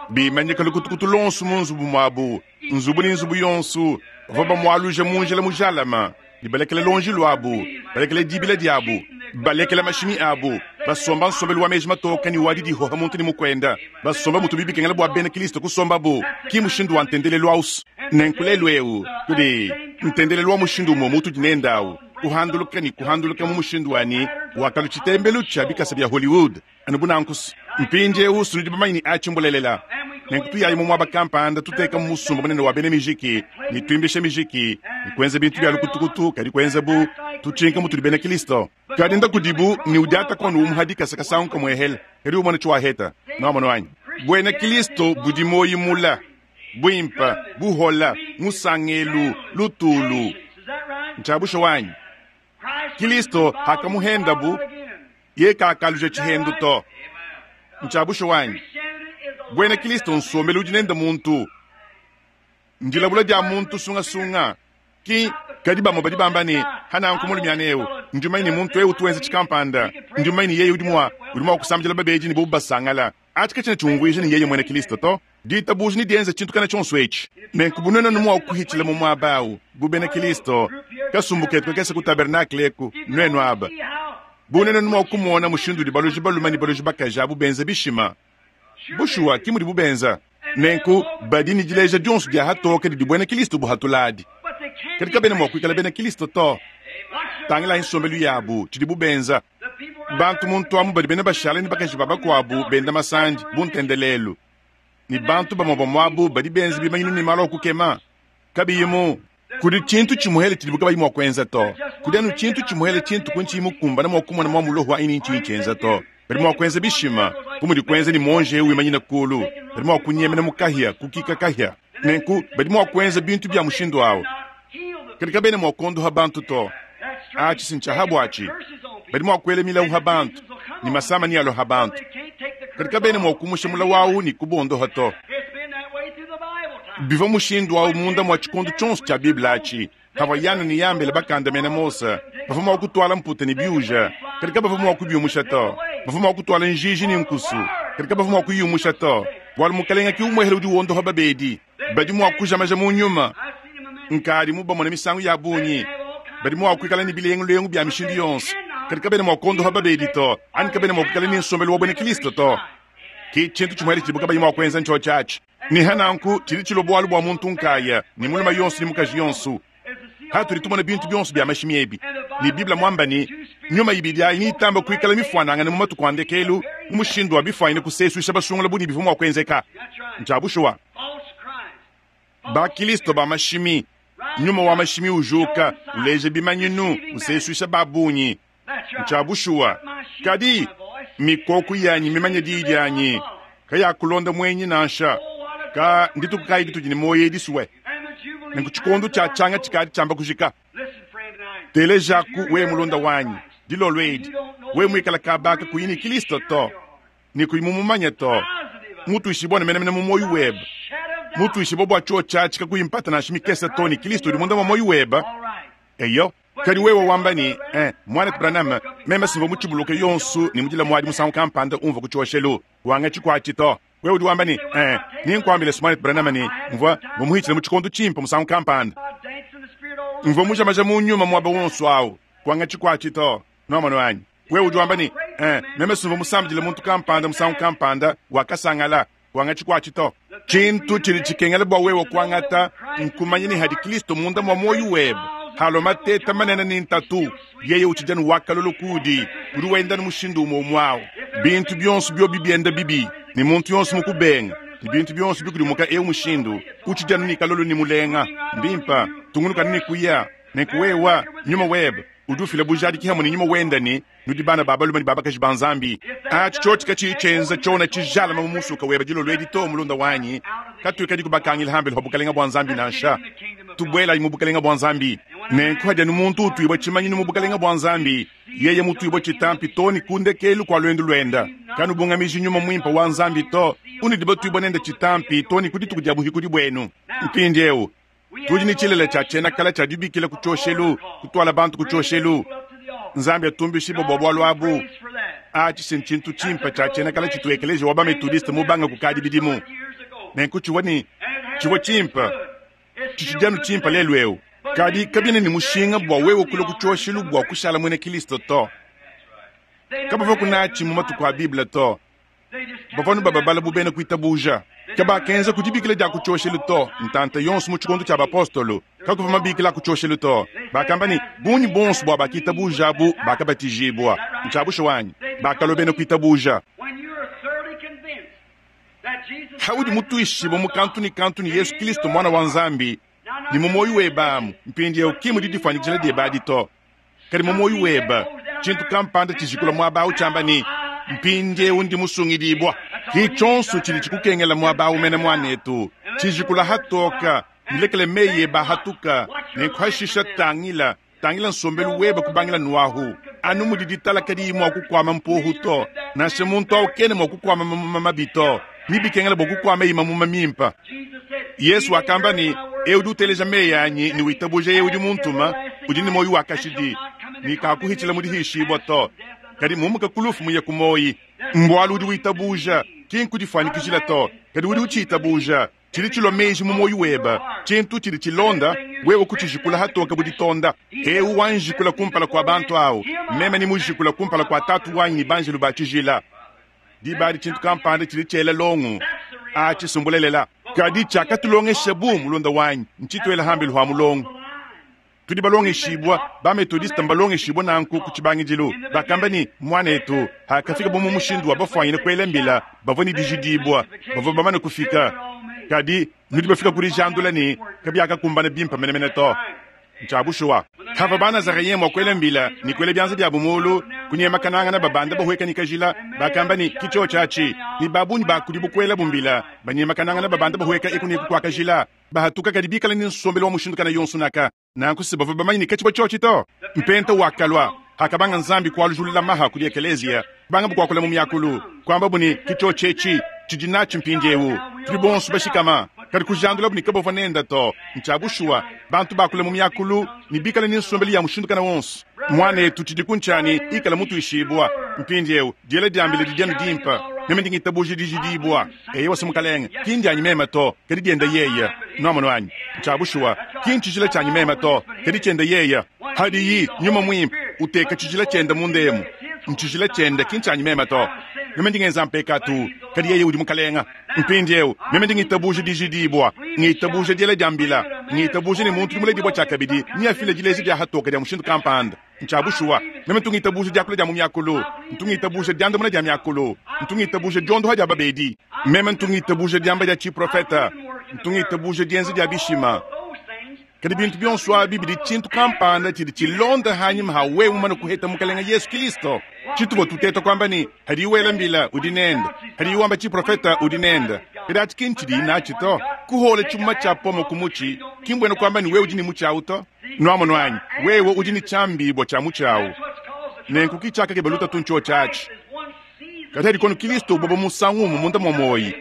bimanyika lukutukutu luonso mu nzubu muabu, nzubu ne nzubu yonso, bavua bamualuja mu njila mujalame ne balekela luonji luabu, balekela dibila diabu, balekela mashimi abu, basomba nsombelu wa meji matoke ne wa didihoha muntu ne mukuenda, basomba mutubi bikengela bua bena Kristo kusombabu. Ki mushindu wa ntendelelu au. Nenku lelu eu kudi ntendelelu wa mushindu umue mutudi nende au, kuhanduluka ne kuhanduluka mu mushindu wa ne wakalu tshitembelu tshia bikasa bia Hollywood anu bu nanku. Mpindieu sunudi bamanye ne atshi mbulelela. Nenku tuyayi mu muaba kampanda, tutekamu musumba munene wa bena mijiki ne tuimbisha mijiki ne kuenza bintu bia lukutukutu, kadi kuenza bu tutshinka mutudi bena Kristo. Kadi nda kudibu ne udiata kono umuha dikasa kasangu kamuehele, kadi umone tshiwaheta. Nuamono anyi? Buena Kristo budi muoyi mula, buimpe, buhola, musangelu, lutulu. Ntshia bushuwa anyi? Kristo hakamuhendabu, ye kakaluja tshihendu to. Ntshia bushuwa anyi? Buena Kristo nsombelu udi nende muntu, ndilabula dia muntu sungasunga. Ki kadi bamue badi bamba ne, Hananku mulumiana eu, ndi mumanye ne muntu eu utu wenza tshikampanda, ndi mumanye ne yeye udi mua udi mua kusambidila babedi ne bobu basangala. Atshi katshiena tshiumvuija ne yeye muena Kristo to. Ditabuja ne dienza tshintu kana tshionso etshi. Nenku bu nuenu mua kuhitshila mu muaba au bu bena Kristo, kasumbu ketu kakese ku tabernakle eku, nuenu aba, bu nuenu mua kumona mushindu udi baloji balume ne baloji bakaji abu benza bishima. Bushuwa, ki mudibu benza. Nenku badi ne dileja dionso dia hatoke didi buena Kristo buhatuladi. Kadi kabena mua kuikala bena Kristo to. Tangilayi nsombelu yabu, tshidibu benza. Bantu muntu amu badi bena bashala ne bakaji ba bakuabu benda masandi bu ntendelelu, ne bantu bamue bamue abu badi benza bimanyinu ne malu a kukema kabiyi mu. Kudi tshintu tshimuele tshidibu kabayi mua kuenza to. Kudi anu tshintu tshimuele tshintu ku ntshiyi mukumbane mua kumona mua muloho anyi ne ntshinyi tshienza to. Badi mua kuenza bishima, bu mudi kuenza ne muonji eu wimanyina kulu. Badi mua kunyemena mu kahia, kukika kahia. Nenku badi mua kuenza bintu bia mushindu awu, kadi kabena mua kuondoha bantu to. Atshi si ntshia ha buatshi. Badi mua kuela milawu ha bantu, ne masama nealue ha bantu, kadi kabena mua kumusha mulawu awu ne kubondoha to. Bivua mushindu awu munda mua tshikondo tshionso tshia Bible atshi. Pavua Yane ne Yambele bakandamena Mose, bavua mua kutuala mputa ne biuja, kadi kabavua mua kubiumusha to. Bavua mua kutuala njiji ne nkusu, kadi kabavua mua kuyumusha to, bualu Mukalenge ke umuehele udi wondoha babedi. Badi mua kuja maja mu nyuma. Nkadi mubamone misangu ya bungi. Badi mua kuikala ne bilengulengu bia mishindu yonso, kadi kabena mua kuondoha babedi to, anyi kabena mua kuikala ne nsombelu wa buena Kristo to. Ke tshintu tshimuele tshidibu kabayi mua kuenza ntshiotshi atshi. Ne ha nanku tshidi tshilua bualu bua muntu nkaya, ne mulume yonso ne mukaji yonso. Hatudi tumona bintu bionso bia mashimi ebi, ne Bible muamba ne, nyuma ibidi ayi neyitamba kuikala mifuanangane mu matuku a ndekelu, mu mushindu wa bifuanyine kusesuisha basungula bu ne bivua mua kuenzeka. Ntshia bushuwa. Ba-Kristo ba mashimi, nyuma wa mashimi ujuka, uleja bimanyinu, usesuisha ba bungi. Ntshia bushuwa. Kadi mikoko yanyi mimanye diyi dianyi, kayakulonda muenyi nansha. Ka ndituku kayi ditudi ne muoyo edi sue? Nenku tshikondo tshia tshianga tshikadi tshiamba kujika. Telejaku wewe mulunda wanyi, dilolo edi, wewe muikale kaba kakuyi ne Kristo to, ne kuyi mumumanye to, mutuishibua ne menemene mu muoyo webe, mutuishibua bua tshiotshi atshi kakuyi mpata nansha mikese to ne Kristo udi munda mua muoyo webe. Eyo. Kadi wewe wamba ne, Eh, Muanetu Branham, meme simvua mutshibuluke yonso ne mudila muadi musangu kampanda umvua ku tshioshelu. Wangatshi kuatshi to. Wewe udi wamba ne, Eh, nenkuambile Muanetu Branham ne, mvua mumuhitshile mu tshikondo tshimpe musangu kampanda. Mvua mujamaja mu nyuma muaba wonso awu. Kuangatshi kuatshi to. Nwamonu anyi? Wewe udi wamba ne, Eh, meme simvua musambidile muntu kampanda musangu kampanda, wakasangala. Kuangatshi kuatshi to. Tshintu tshidi tshikengela bua wewe kuangata nkumanya ne hadi Kristo munda mua muoyo webe. Halua mateta manene ne ntatu, yeye utshidi anu wa kalolo kuudi, udi wenda anu mushindu umue umue au. Bintu bionso biobi bienda bibi ne muntu yonso mukubenga, ne bintu bionso bikudimuka eu mushindu, utshidi anu ne kalolo ne mulenga. Mbimpe, tungunuka anu ne kuya. Nenku wewe, nyuma webe udi ufila bujadiki hamue ne nyuma wende ne, Nudi bana ba balume ne ba bakaji ba Nzambi. Atshi tshiotshi katshiyi tshienza tshiona tshijalama mu musuka webe dilolo edi to, mulunda wanyi. Katuikadi kubakangila hambelu pa bukalenga bua Nzambi nansha. Tubuelayi mu bukalenga bua Nzambi. Nenku hadi anu muntu utuibua tshimanyinu mu bukalenga bua Nzambi, yeye mutuibua tshitampi too ne ku ndekelu kua luendu luenda. Kanubungamiji Nyuma Muimpe wa Nzambi to, unudi batuibua nende tshitampi too ne ku dituku dia buhikudi buenu. Mpindieu tudi ne tshilele tshia tshiena kale tshia dibikila ku tshioshelu, kutuala bantu ku tshioshelu. Nzambi atumbishibue bua bualu abu. Atshi si ntshintu tshimpe tshia tshiena kale tshitu ekeleziya wa ba-Methodiste mubanga kukadi bidimu. Nenku tshivua ne tshivua tshimpe, tshitshidi anu tshimpe lelu'eu. Kadi kabiena ne mushinga bua wewe kulua ku tshioshelu bua kushala muena Kristo to. Kabavua natshi mu matuku a Bible to. Bavua anu bababala bu bena kuitabuja. Kabakenza ku dibikila dia ku tshioshelu to. Ntanta yonso mu tshikondo tshia bapostolo, kakuvua mabikila a ku tshioshelu to. Bakamba ne, bungi buonso bua bakitabuja abu bakabatijibua. Ntshia bushuwa anyi? Bakalua bena kuitabuja. Haudi mutuishibue mu kantu ne kantu ne Yesu Kristo Muana wa Nzambi, ne mu muoyo webe amu mpindieu, ki mu didifuanyikijila diebe adi to, kadi mu muoyo webe tshintu kampanda tshijikula muaba au tshiamba ne, Mpindieu ndi musungidibua. Ke tshionso tshidi tshikukengela muaba au mene, muanetu. Tshijikula hatoka, nulekele meyi ebe ahatuka, nenku hashisha tangila, tangila nsombelu webe kubangila nuahu. Anu mudi ditala kadiyi mua kukuama mpuohu to, nansha muntu au kena mua kukuama mamuma mabi to, nebikengela bua kukuamayi mamuma mimpe. Yesu wakamba ne, Eu udi uteleja meyi anyi ne witabuja yeye udi muntuma, udi ne muoyo wa kashidi, ne kakuhitshila mu dihishibua to, kadi mumuka ku lufu muye ku muoyi. Mbualu udi witabuja, ki nkudifuanyikijila to, kadi udi utshitabuja. Tshidi tshilua meji mu muoyo webe, tshintu tshidi tshilonda, wewe kutshijikula hatoke bu ditonda. Eu wanjikula kumpala kua bantu au, meme nemujikula kumpala kua Tatu wanyi ne banjelu ba tshijila. Diba adi tshintu kampanda tshidi tshiela longo. Atshi si mbulelela. Kadi tshiakatulongesha bu mulunda wanyi ntshituela hambelu ha mulongo. Tudi balongeshibua, ba-Methodiste mbalongeshibue nanku ku tshibangidilu. Bakamba ne, Muanetu, hakafika mu mushindu wa bafuanyine kuela mbila, bavua ne dijidibua, bavua bamane kufika. Kadi nudi bafika ku dijandula ne, kabiakakumbana bimpe menemene to. Ncya bushuwa. Pavwa Banazareyen mwa kwela mbila ne kwela byanza byabo muulu, kunyemakanangana babanda bahweka ne kajila, bakamba ne, Ki cyoci aci. Ne baabungi baa kudibo kwelabo mbila, banyemakanangana babanda bahweka eku ne eku kwa kajila, bahatuka kadi biikale ne nsombelu wa mushindu kana yonso naka. Nanku se bavwa bamanye ne kacivwa cyoci to. Mpenta wakalwa, pakabanga Nzambi kwalujulula maha kudi ekeleziya, kubangabu kwakula mu myakulu, kwambabu ne, Ki cyoci eci. Cidi naci mpindyewu. Tudi bonso bashikama. Kadi kujandulabu ne kabavwa nenda to. Ncya bushuwa, bantu bakula mu myakulu ne biikale ne nsombelu ya mushindu kana wonso. Mwaneetu, cidiku ncya ne ikala mutwishibwa. Mpindyewu, dyela dyambila didi anu dimpe. Meme ndi ngitabuuja dijidiibwa. Eyowa se Mukalenge, ki ndyanyi meme to, kadi dyende Yeye. Nwamonu anyi? Ncya bushuwa. Ki ncijila cyanyi meme to, kadi cyende Yeye. Padiyi, Nyuma Mwimpe, uteeka cijila cyende munda emu, ncijila cyende, ki ncyanyi meme to. Meme ndi ngenza mpekaatu, kadi Yeye udi Mukalenga. Mpindyewu, meme ndi ngitabuuja dijidiibwa, ngitabuuja dyela dya mbila, ngitabuuja ne muntu udi muledibwa cyakabidi neafile dileeja dya hatooka dya mushindu kampanda. Ncya bushuwa. Meme ntu ngitabuuja dyakula dya mu myakulu. Ntu ngitabuuja dyandamuna dya myakulu. Ntu ngitabuuja dyondoha dya babeedi. Meme ntu ngitabuuja dyamba dya ciprofeta. Ntu ngitabuuja dyenza dya bishima. Kadi bintu bionso abi bidi tshintu kampanda tshidi tshilonda hanyima ha wewe mumane kuheta Mukelenge Yesu Kilisto. Tshituvua tuteta kuamba ne, Hadiyi wela mbila, udi nende. Hadiyi wamba tshiprofeta, udi nende. Kadi atshi ki ntshidiyi natshi to. Kuhola tshimuma tshia pomo ku mutshi ki mbuena kuamba ne wewe udi ne mutshi au to. Nuamonu anyi? Wewe udi ne tshiambibua tshia mutshi au. Nenku ki tshiakakeba lutatu ntshiotshi atshi. Kadi hadi kono Kilisto uboba musangu umue munda mua muoyi,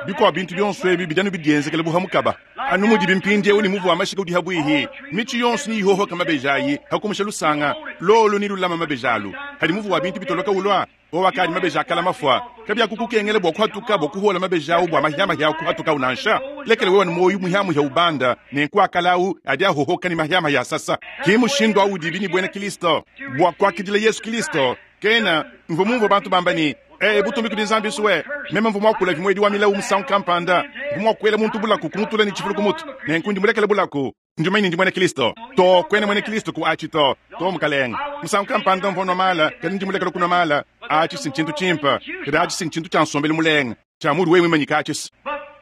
bikuabu bintu bionso ebi bidi anu bidienzekela bu ha mukaba. Anu mudibi mpindieu ne muvu wa mashika udi habuihi, mitshi yonso neyihohoke mabeji ayi ha kumusha lusanga, lolu nelulame mabeji alu. Hadi muvu wa bintu bitoloka ulua, wowo akadi mabeji a kala mafua, kabiakukukengela bua kuhatuka bua kuhuola mabeji au bua mahia-mahia kuhatukau nansha. Lekela wewe ne muoyo muhia-muhia ubanda, nenku akala au adi ahohoka ne mahia-mahia asasa. Ke mushindu au udibi ne buena Kilisto. Bua kuakidila Yesu Kilisto, Kena, mvua mumvue bantu bamba ne, Ee, butumbi kudi Nzambi nsue. Meme mvua muakula vimuedi wa milawu musangu kampanda. Mvua mua kuela muntu bulaku, kumutula ne tshifulu ku mutu. Nenku ndi mulekele bulaku. Ndi mumanye ne ndi muena Kristo. To, kuena muena Kristo ku aci to. To, mukalenge. Musangu kampanda mvua nnua maala, kadi ndi mulekele kunua maala. Aci si ntshintu tshimpe. Kadi aci si ntshintu tshia nsombelu mulenga, tshia muudi wewe muimanyike aci si.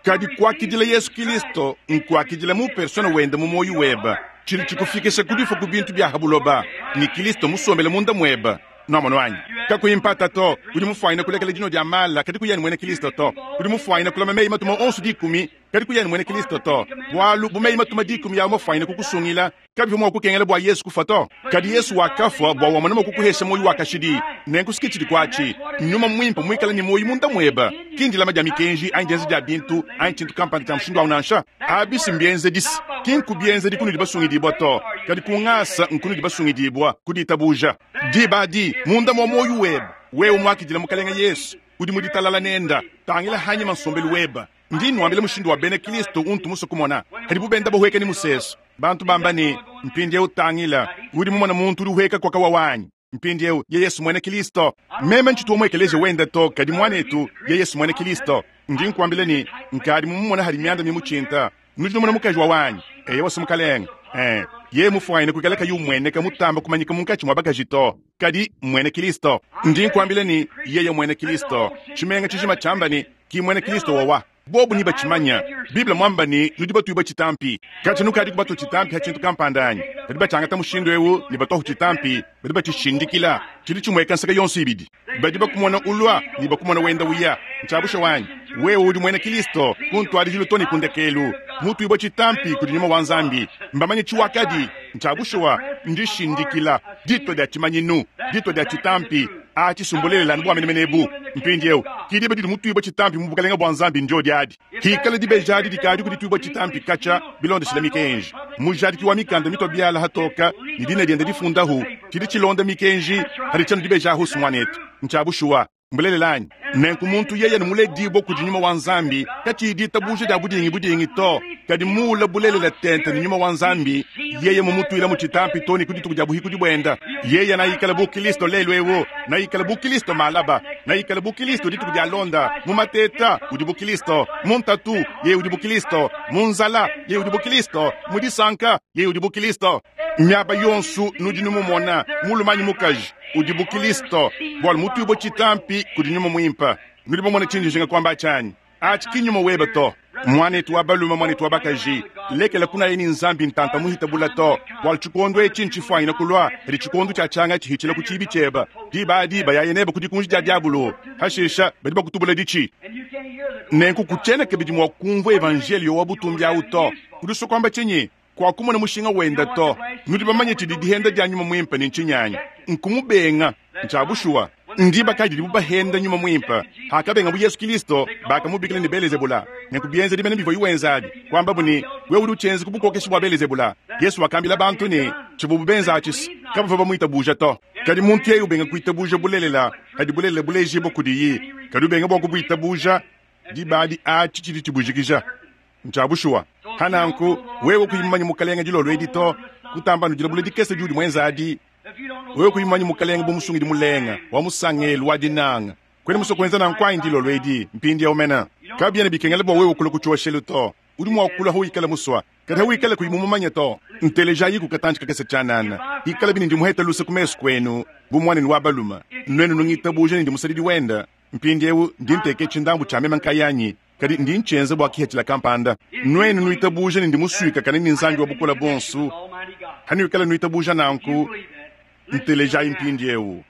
Kadi kuakidila Yesu Kilisto nkuakidila mu persona wende mu muoyo webe, tshidi tshikufikisha ku difua ku bintu bia ha buloba, ne Kilisto musombele munda muebe. Nuamonu anyi? Kakuyi mpata to, udi mufuanyine kulekela dinua dia mala, kadi kuya ne muena Kilisto to. Udi mufuanyine kulama meyi-matuma onso dikumi, kadi kuya ne muena Kilisto to. Bualu, bu meyi-matuma dikumi awu mafuanyine kukusungila, Kabivua mua kukengela bua Yesu kufua to. Kadi Yesu wakafua bua wamona mua kukuhesha muoyo wa kashidi. Nenku si tshidi kuatshi Nyuma Muimpe muikale ne muoyo munda muebe, ki ndilama dia mikenji anyi dienza dia bintu anyi tshintu kampanda tshia mushindu au nansha. Abi si mbienzedi se ki nku bienzedi kunudi basungidibua to, kadi ku ngasa nkunudi basungidibua, ku ditabuja. Diba adi, munda mua muoyo webe, wewe muakidile Mukelenge Yesu, udi mu ditalala nende. Tangila hanyima nsombelu webe. Ndi nnuambila mushindu wa bena Kristo untu musue kumona padibu benda bahueka ne musesu. Bantu bamba ne, Mpindieu tangila, udi mumone muntu udi uhueka kua kawawa anyi? Mpindieu yeye si muena Kristo. Meme ntshitu wa mu ekeleziya wende to, kadi muanetu yeye si muena Kristo. Ndi nkuambila ne, nkadi mumumone hadi mianda mimutshinta. Nudi numona mukaji wawa anyi? Eyowa, si mukalenge. Ee, yeye mufuanyine kuikala kayi umueneka mutamba kumanyika munkatshi mua bakaji to, kadi mmuena Kristo. Ndi nkuambila ne, yeye mmuena Kristo. Tshimenga tshijima tshiamba ne, Ki muena Kristo wawa. Bobu nebatshimanye. Bible muamba ne, nudi batuibue tshitampi. Katshia nukadiku batua tshitampi ha tshintu kampanda anyi? Badi batshiangata mushindu eu ne batuahu tshitampi, badi batshishindikila. Tshidi tshimueka nseke yonso ibidi. Badi bakumona ulua ne bakumona wenda uya. Ntshia bushuwa anyi? Wewe udi muena Kristo ku ntuadijilu to ne ku ndekelu, mutuibue tshitampi kudi Nyuma wa Nzambi. Mbamanye tshiwakadi. Ntshia bushuwa. Ndishindikila, ditua dia tshimanyinu, ditua dia tshitampi. Atshi si mbulelela anu bua menemene ebu. Mpindieu, ki diba didi mutuibue tshitampi mu Bukalenge bua Nzambi ndiodi adi. Hikala dibeji adi dikadi kudituibua tshitampi katshia bilondeshile mikenji, mujadiki wa mikanda mitua biala hatoka ne dina diende difundahu, tshidi tshilonda mikenji hadi tshianu dibeji ahu si muanetu. Ntshia bushuwa. Mbulelela anyi? Nenku muntu yeye ne muledibue kudi Nyuma wa Nzambi, katshiyi ditabuja dia budingi-budingi to, kadi muula bulelela tente ne Nyuma wa Nzambi, yeye mumutuila mu tshitampi to ne ku dituku dia buhikudi buenda, yeye naikale bu Kilisto lelu eu, naikale bu Kilisto malaba, naikale bu Kilisto dituku dialonda. Mu mateta udi bu Kilisto, mu ntatu yeye udi bu Kilisto, mu nzala yeye udi bu Kilisto, mu disanka yeye udi bu Kilisto. Miaba yonso nudi numumona, mulume anyi mukaji, udi bu Kilisto, bualu mutuibue tshitampi kudi Nyuma Muimpe. Nudi bamone tshindi njinga kuamba atshi anyi? Atshi ki nnyuma webe to. Mwanetu wa balume, mwanetu wa bakaji, lekela kunaya ne Nzambi ntanta muhita bula to, bwalu tshikondo etshi ntshifwanyine kulwa kadi tshikondo tshia tshianga tshihitshila ku tshiibi tshieba. Diba adi bayaye nebe ku dikunji dia diabulu, hashisha badi bakutubula ditshi. Nenku kutshiena kabidi mua kumvua evanjeliyo wa butumbi awu to. Udi usua kuamba tshinyi? Kuakumona mushinga wenda to. Nudi bamanye tshidi dihenda dia Nyuma Muimpe ne ntshinyi anyi? Nkumubenga. Ntshia bushuwa. Ndiba kayi didibu bahenda Nyuma Muimpe? Hakabengabu Yesu Kilisto, bakamubikila ne Belezebula. Nenku bienzedi mene bivuaye wenza abi, kuambabu ne, Wewe udi utshienza ku bukokeshi bua Belezebula. Yesu wakambila bantu ne, tshivuabu benza atshi kabavua bamuitabuja to. Kadi muntu yeye ubenga kuitabuja bulelela, padi bulelela bulejibua kudiye, kadi ubenga bua kubuitabuja, diba adi atshi tshidi tshibujikija. Ntshia bushuwa. Pa nanku, wewe kuyi mumanye Mukalenge dilolo edi to, kutamba anu dilabula dikese diudi muenze adi, wewe kuyi mumanye Mukalenge bu Musungidi mulenga, wa musangelu, wa dinanga, kuena musue kuenza nanku anyi dilolo edi, mpindieu mene? Kabiena bikengela bua wewe kulua ku tshioshelu to. Udi mua kulua hawikala musua, kadi hawikala kuyi mumumanye to. Ntelejayiku katantshi kakese tshianana, hikalabi ne ndi muhete luse ku mesu kuenu bu muanenu wa balume, nuenu nungitabuja ne ndi musadidi wende. Mpindieu ndi nteka etshi ndambu tshia meme nkayanyi, kadi ndi ntshienza bua kipatshila kampanda. Nuenu nuitabuja ne ndi musuikakane ne Nzambi wa Bukole Buonso, hanuikala nuitabuja nanku, ntelejayi mpindieu.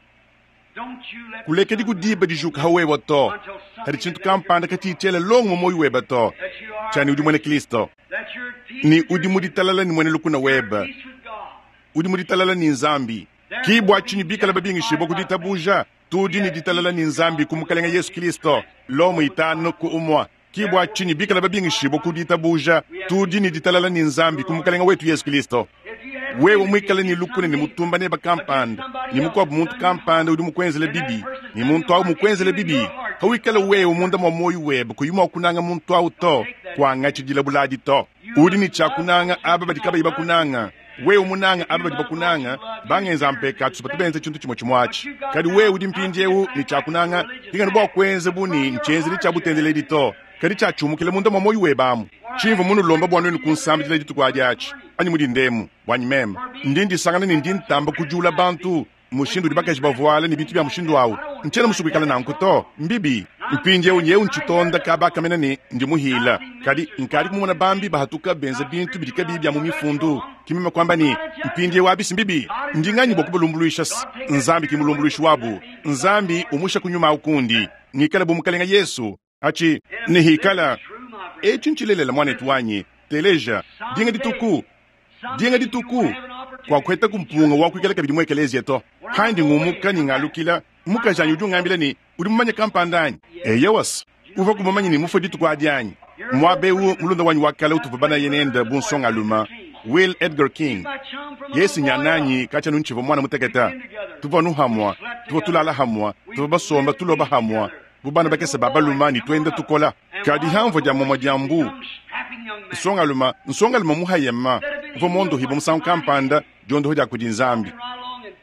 Kulekedi ku diba dijuka ha wewa to, hadi tshintu kampanda katshiyi tshiela longo mu muoyo webe to, tshia ne udi muena Kristo, ne udi mu ditalala ne muena lukuna webe, udi mu ditalala ne Nzambi. Ki bua tshinyi bikala babingishibua ku ditabuja, tudi ne ditalala ne Nzambi ku Mukalenge Yesu Kristo. Lomo 5:1. Ki bua tshinyi bikala babingishibua ku ditabuja, tudi ne ditalala ne Nzambi ku Mukalenge wetu Yesu Kristo. Wewe muikale ne lukuna ne mutumba nebe kampanda, ne mukuabu muntu kampanda udi mukuenzele bibi, ne muntu au mukuenzele bibi, pawikala wewe munda mua muoyo webe kuyi mua kunanga muntu au to, kuangatshi dilabula adi to. Udi ne tshia kunanga aba badi kabayi bakunanga. Wewe munanga aba badi bakunanga, bangenza mpekatu batu benza tshintu tshimue tshimue atshi. Kadi wewe udi mpindieu ne tshia kunanga, ki nganu bua kuenza bu ne ntshienzedi tshia butendeledi to, kadi tshiatshiumukila munda mua muoyo webe amu. Tshimvua munulomba bua nuenu kunsambidila dituku adi atshi, anyi mu dinda emu, buanyi meme, ndi ndisangana ne ndi ntamba kudiula bantu mushindu udi bakaji bavuala ne bintu bia mushindu au. Ntshiena musue kuikala nanku to, mbibi. Mpindieu nyewu ntshitonda kaba kamena ne ndi muhila, kadi nkadi kumona bambi bahatuka benza bintu bidi kabiyi bia mu mifundu. Ki meme kuamba ne, mpindieu abi si mbibi. Ndi nganyi bua kubalumbuluisha? Nzambi ki mulumbuluishi wabu. Nzambi umusha ku nyuma au kundi, ngikale bu Mukalenge Yesu. Atshi ne hikala etshi ntshilelela, muanetu wanyi, teleja, dinga dituku, dinga dituku kuakuhetaku mpunga wa kuikala kabidi mu ekeleziya to. Pandi ngumuka ne ngalukila, mukajanyi udi ungambila ne, Udi mumanye kampanda anyi? Eyowa, uvuaku mumanye ne mufue dituku adi anyi? Muaba eu mulunda wanyi wa kale utuvua banaye nende bu nsongalume, Will Edgar King, yeye nyananyi katshia anu ntshivua muana mutekete. Tuvua anu hamua, tuvua tulala hamua, tuvua basomba tuloba hamua bu bana bakese ba balume ne tuenda tukola. Kadi hamvua dia muamua dia mbu, nsongalume, nsongalume muhayema uvua muondohibue musangu kampanda diondoho dia kudi Nzambi.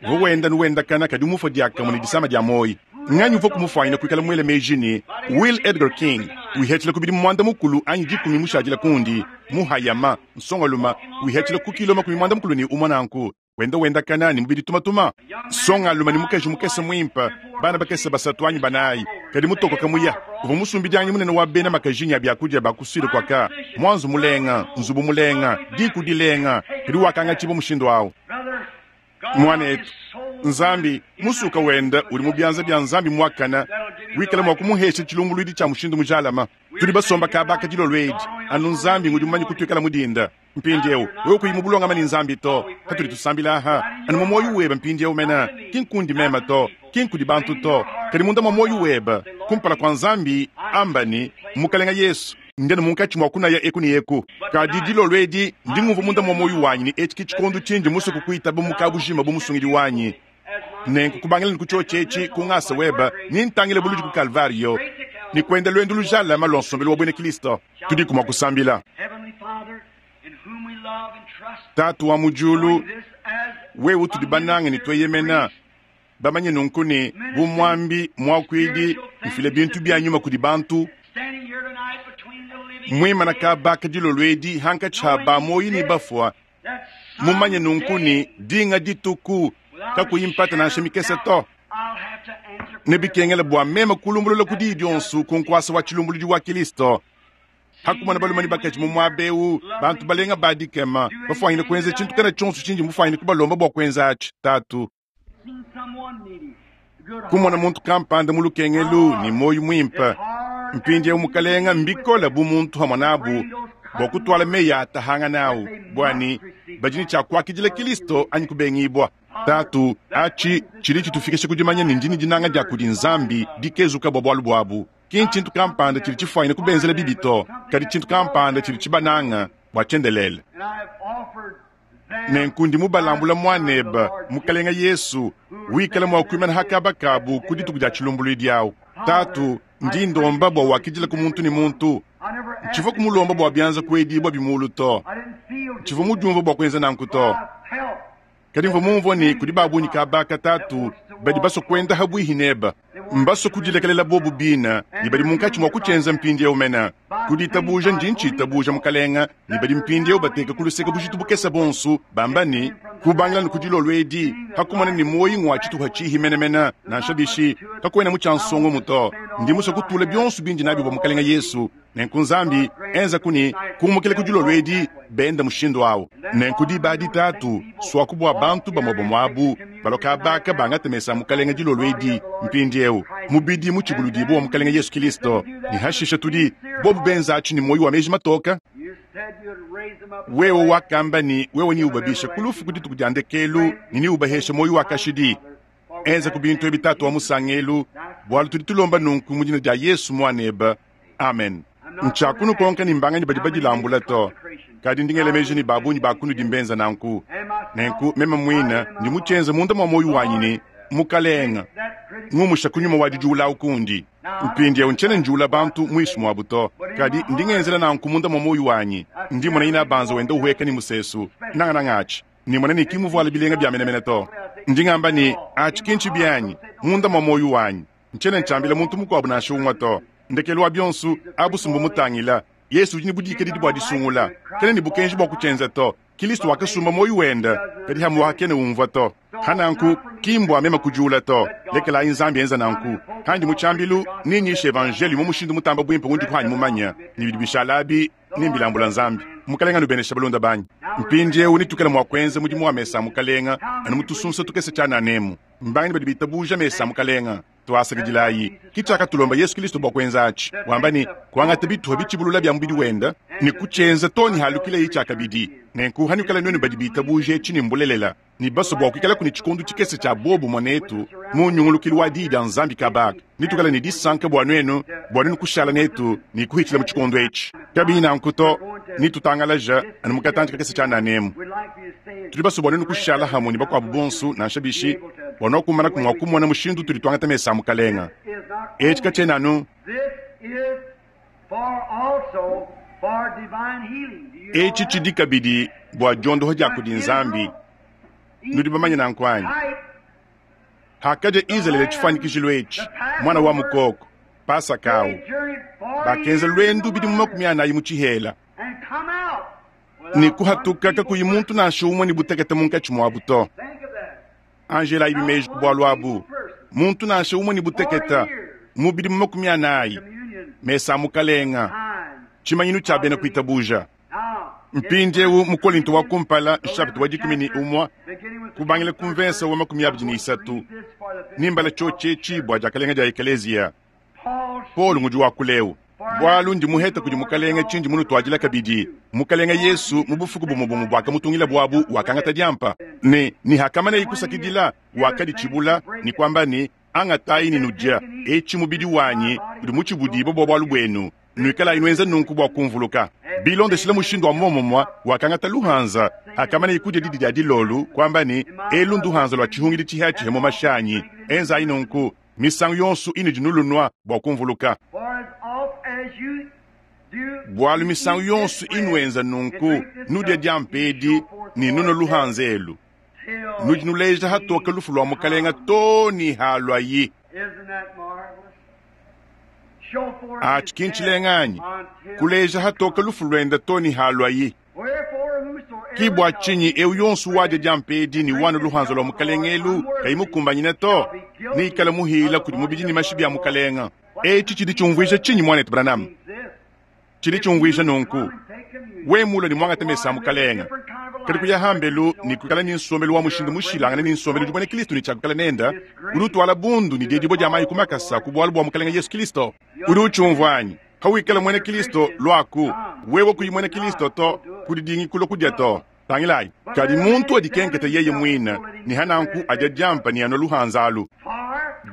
Uvua wenda nu wendakana kadi mufue diakamue ne disama dia muoyo. Nganyi uvua kumufuanyina kuikala muele meji ne, Will Edgar King, wihatshila ku bidimu muanda-mukulu anyi dikumi mushadile kundi, muhayama, nsongalume, wihatshila ku kilo 61 nanku, wenda wendakana ne mubidi tumatuma? Nsongalume ne mukaji mukese muimpe, bana bakese basatu anyi banayi, kadi mutokoka muya. Uvua musumbidianganyi munene wa bena makajinyi a biakudia ba ku Sud kua ka muanzu mulenga, nzubu mulenga, diku dilenga, kadi wakangatshibua mushindu au. Muanetu, Nzambi, musuka wenda udi mu bianza bia Nzambi muakane, wikala mua kumuhesha tshilumbuluidi tshia mushindu mujalame. Tudi basomba kaba aka dilolo edi, anu Nzambi ngudi mumanye kutuikala mu dinda. Mpindieu, wewe kuyi mu bulongame ne Nzambi to, patudi tusambila aha, anu mu muoyo webe mpindieu mene, ki nkundi meme to, ki nkudi bantu to, kadi munda mua muoyo webe, kumpala kua Nzambi, amba ne, Mukalenge Yesu, ndi anu munkatshi mua kunaya eku ne eku, kadi dilolo edi ndi ngumvua munda mua muoyo wanyi ne etshi ke tshikondo tshindi musue kukuitaba mu kabujima bu Musungidi wanyi. Nenku kubangila ne ku tshiotshi etshi, ku ngasa webe, nintangile buludi ku Kalvariyo ne kuenda luendu lujalame lua nsombelu wa buena Kristo. Tudiku mua kusambila. Tatu wa mu diulu, wewe utudi banange ne tueyemena, bamanye nunku ne, bu muambi, muakuidi, mfile bintu bia nyuma kudi bantu, muimana kaba ka dilolo edi hankatshi ha ba muoyo ne bafua, mumanye nunku ne, dinga dituku, kakuyi mpata nansha mikese to, nebikengele bua meme kulumbulula ku diyi dionso ku nkuasa wa tshilumbuludi wa Kristo. Ha kumona balume ne bakaji mu muaba eu, bantu balenga ba dikema, bafwanyine kuenza tshintu kana tshionso tshindi mufwanyine kubalomba bua kuenza atshi, Tatu. Kumona muntu kampanda mu lukengelu ne muoyo muimpe, mpindieu Mukalenga, mbikole bu muntu hamue nabu bua kutuala meyi a atahangana au, bua ne badi ne tshia kuakidila Kilisto anyi kubengibua. Tatu, atshi tshidi tshitufikisha ku dimanya ne ndi ne dinanga dia kudi Nzambi dikezuka bua bualu buabu. Ki ntshintu kampanda tshidi tshifuanyine kubenzela bibi to, kadi tshintu kampanda tshidi tshibananga bua tshiendelele. Nenku ndi mubalambula Muanebe, Mukalenga Yesu, wikala mua kuimana ha kaba kabu ku dituku dia tshilumbuluidi awu. Tatu, ndi ndomba bua wakidila ku muntu ne muntu. Ntshivua kumulomba bua bianza kuedibua bimulu to. Ntshivua mudiumvua bua kuenza nanku to. Kadi mvua mumvua ne kudi ba bungi kabaka, Tatu, badi basua kuenda ha buihi neba. Mbasue kudilekelela bobu bina, ne badi munkatshi mua kutshienza mpindieu mena. Ku ditabuja ndi ntshitabuja, Mukalenga, ne badi mpindieu bateka ku luseke bujitu bukese bonsu, bamba ne, Kubangila ne ku dilolo edi, pa kumona ne muoyi ngua tshituha tshihi menemene, nansha bishi, kakuena mu tshia nsongo to. Ndi musue kutula bionso bindi nabi bua Mukalenga Yesu. Nenku Nzambi, enzaku ne, kumukila ku dilolo edi, benda mushindu awu. Nenku diba adi, Tatu, suaku bua bantu bamue bamue abu balua kabaka bangate mesa a Mukalenga dilolo edi, mpindiewu, mubidi mutshibuludibue wa Mukalenga Yesu Kilisto, ne hashisha tudi, bobu benza atshi ne muoyo wa meji matoka. Wewe wakamba ne wewe neubabishe ku lufu ku dituku dia ndekelu ne neubaheshe muoyo wa kashidi. Enza ku bintu ebi, Tatu wa musangelu, bualu tudi tulomba nunku mu dina dia Yesu Muanebe. Amen. Ntshiakunukonka ne mbanganyi badi badilambula to, kadi ndi ngela meji ne ba bungi ba kunudi mbenza nanku. Nenku meme muine ndi mutshienze munda mua muoyo wanyi ne, Mukalenga, ngumusha ku nyuma wa didiula awu kundi. Mpindieu ntshiena njiula bantu muinshi muabu to, kadi ndi ngenzela nanku munda mua muoyo wanyi. Ndi mmona inabanza wenda uhueka ne musesu, nangananga atshi ne mona ne ki muvuala bilenga bia menemene to. Ndi ngamba ne, atshi ki ntshibi anyi, munda mua muoyo wanyi. Ntshiena ntshiambila muntu mukuabu nansha umue to. Ndekelu wa bionso, abu mutangila. Yesu udi ne budikadidi bua disungula. Kena ne bukenji bua kutshienza to. Kilisto wakasumba muoyo wende, kadi hamuaha kena umvua to. Ha nanku, ki mbua meme kudiula to. Lekelayi Nzambi enza nanku. Handi mu tshiambilu, ninyishe evanjeliyo mu mushindu mutamba buimpe undi kuhanyi mumanya, ne bidi bishala abi nimbilambula Nzambi. Mukalenga anubenesha balunda banyi. Mpindieu netuikale mua kuenza mudimu wa mesa a Mukalenga anu mu tusunsa tukese tshianana emu. Mbanganyi badi bitabuja mesa a Mukalenga? Tuasakidilayi. Ki tshiakatulomba Yesu Kilisto bua kuenza atshi, wamba ne, kuangata bituha bitshibulula bia mubidi wenda ne kutshienza too ne halukilaye tshiakabidi. Nenku hanuikala nuenu badi bitabuja etshi ne mbulelela, ne basue bua kuikalaku ne tshikondo tshikese tshia buobumue netu mu nyungulukilu wa Diyi dia Nzambi kabaka, netuikale ne disanka bua nuenu, bua nuenu kushala netu ne kuhitshila mu tshikondo etshi. Kabiyi nanku to, netutangalaja anu mu katantshi kakese tshianana emu. Tudi basue bua nuenu kushala hamue ne bakuabu bonso, nansha bishi, bua nuakumanaku mua kumona mushindu utudi tuangata mesa a Mukalenga. Etshi katshiena anu Etshi tshidi kabidi bua diondoha dia kudi Nzambi. Nudi bamanye nanku anyi? Hakadia Izalele tshifuanyikijilu etshi, muana wa mukoko, Pasaka au, bakenza luendu bidimu 40 mu tshihela, ne kuhatuka kakuyi muntu nansha umue ne butekete munkatshi muabu to. Anjelayi meji ku bualu abu, muntu nansha umue ne butekete mu bidimu 40, mesa a Mukalenga, tshimanyinu tshia bena kuitabuja. Mpindieu mu Kolinto wa kumpala nshapita wa 11 kubangila ku mvensa wa 23, nimbala tshiotshi etshi bua diakalenga dia ekeleziya. Paulo ngudi wakuleu, bualu ndi muheta kudi Mukalenga tshindi munutuadila kabidi. Mukalenga Yesu mu bufuku bumue bumue buakamutungila buabu wakangata diampa, ne ne hakamaneye kusakidila wakaditshibula ne kuamba ne, Angatayi ne nudia, etshi mubidi wanyi udi mutshibudibue bua bualu buenu, nuikalayi nuenza nunku bua kumvuluka. Bilondeshile mushindu wa muomumue wakangata luhanza hakamaneye kudia didi dia dilolu, kuamba ne, Elu nduhanza lua tshihungidi tshihatshihia mu mashi anyi, enzayi nunku misangu yonso inudi nulunua bua kumvuluka. Bualu misangu yonso inuenza nunku, nudia diampa edi ne nunua luhanza elu, nudi nuleja hatoke lufu lua Mukalenga too ne haluayi. Atshi ki ntshilenga anyi? Kuleja hatoke lufu luende too ne haluayi. Ki bua tshinyi eu yonso wadia diampa edi ne wanua luhanza lua Mukalenga elu kayi mukumbanyine to, neikale muhila kudi mubidi ne mashi bia Mukalenga. Etshi tshidi tshiumvuija tshinyi, muanetu Branham? Tshidi tshiumvuija nunku, wewe mulue ne muangate mesa a Mukalenge, kadi kuya hambelu ne kuikala ne nsombelu wa mushindu mushilangane ne nsombelu udi muena Kristo ne tshia kuikala nende, udi utuala bundu ne diedibua dia mayi ku makasa ku bualu bua Mukalenge Yesu Kristo. Udi utshiumvua anyi? Pawikala muena Kristo, luaku. Wewe kuyi muena Kristo to, kudidingi kulua kudia to. Tangilayi, kadi muntu adikenketa yeye muine, ne hananku adia diampa ne anua luhanza alu.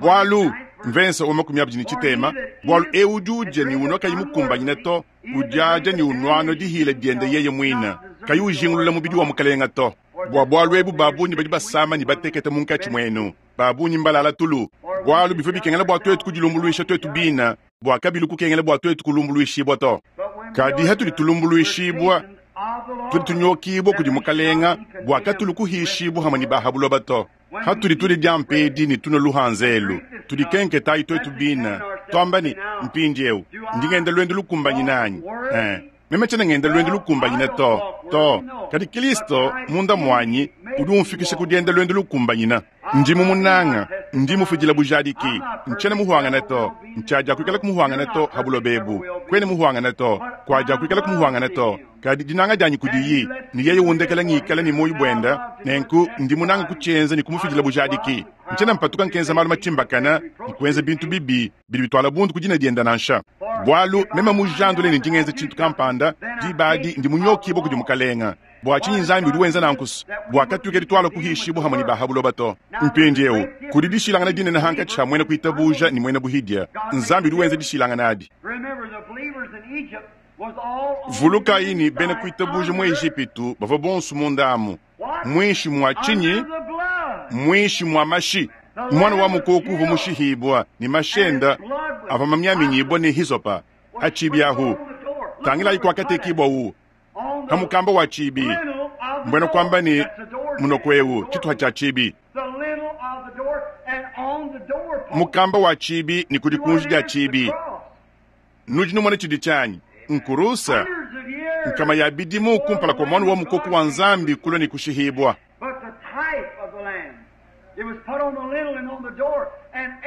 Bualu, mvensa wa 23, bualu eu udi udia ne unua kayi mukumbanyine to, udiadia ne unuanua dihila diende yeye muine, kayi ujingulula mubidi wa Mukelenge to. Bua bualu ebu ba bungi badi basama ne batekete munkatshi muenu, ba bungi mbalala tulu. Bualu bivua bikengela bua tuetu kudilumbuluisha tuetu bine, bua kabilu kukengela bua tuetu kulumbuluishibua to. Kadi hatudi tulumbuluishibua, tudi tunyokibua kudi Mukalenga, bua katulu kuhishibua hamue ne ba ha buloba to. Hatudi tudia diampa edi ne tunua luhanza elu, tudikenketayi tuetu bine, tuamba ne, Mpindieu ndi ngenda luendu lukumbanyine anyi? Eh, meme tshiena ngenda luendu lukumbanyine to, to. Kadi Kristo munda muanyi udi umfikisha ku dienda luendu lukumbanyine. Ndi mumunanga, ndi mufidila bujadiki. Ntshiena muhuangane to, ntshiadiakuikala kumuhuangana to ha buloba ebu. Kuena muhuangane to, kuadiakuikala kumuhuangana to. Kadi dinanga dianyi kudiyi, ne yeye undekela ngikala ne muoyo buenda, nenku ndi munanga kutshienza ne kumufidila bujadiki. Ntshiena mpatuka nkenza malu matshimbakane ne kuenza bintu bibi bidi bituala bundu ku dina dienda nansha. Bualu meme mujandule ne ndi ngenza tshintu kampanda, diba adi ndi munyokibue kudi Mukalenga. Bua tshinyi Nzambi udi wenza nanku? Bua katuikadi tualua kuhishibua hamue ne ba ha buloba to. Mpindieu kudi dishilangana dinene hankatshi ha muena kuitabuja ne muena buhidia. Nzambi udi wenza dishilangana adi. Vulukayi ne, bena kuitabuja mu Ejipitu bavua bonso munda amu, muinshi mua tshinyi? Muinshi mua mashi. Muana wa mukoko uvua mushihibua ne mashi enda avua mamiaminyibua ne hisopa ha tshibi ahu. Tangilayi kuakatekibua u ha mukamba wa tshibi, mbuena kuamba ne munoko eu, tshituha tshia tshibi, mukamba wa tshibi ne ku dikunji dia tshibi. Nudi numona tshidi tshianyi nkurusa nkama ya bidimu kumpala kua muana wa mukoko wa Nzambi kulua ne kushihibua.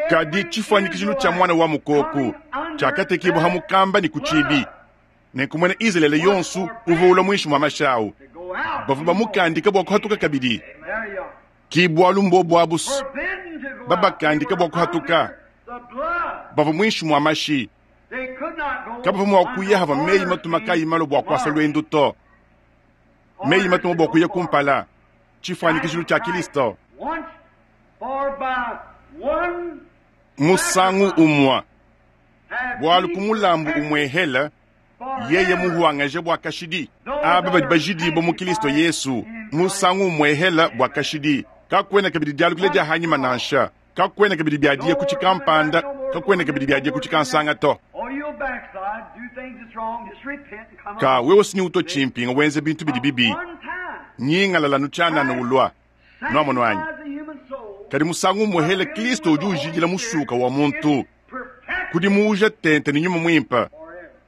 Kadi tshifuanyikijilu tshia muana wa mukoko tshiakatekibua ha mukamba ne ku tshibi. Nenku muena Izalele yonso uvua ulua muinshi mua mashi au, bavua bamukandika bua kuhatuka kabidi. Ki bualu mbobu abu babakandika bua kuhatuka, bavua muinshi mua mashi, kabavua mua kuya havua meyi matuma kayi malua bua kuasa luendu to. Meyi matuma bua kuya kumpala, tshifuanyikijilu tshia Kilisto. Musangu umua, bualu ku mulambu umuehela yeye muhuangaje bua kashidi aba badi bajidibua mu Kilisto Yesu, musangu umuehela bua kashidi. Kakuena kabidi dialukila dia hanyima nansha, kakuena kabidi biadiye ku tshikampanda, kakuena kabidi biadiye ku tshikansanga to. Ka wewe sinyi utua tshimpinga wenza bintu bidi bibi, nyingalala nu tshianana ulua nuamono anyi. Kadi musangu umuehela Kilisto udi ujidila musuka wa muntu kudimuuja tente ne nyuma muimpe,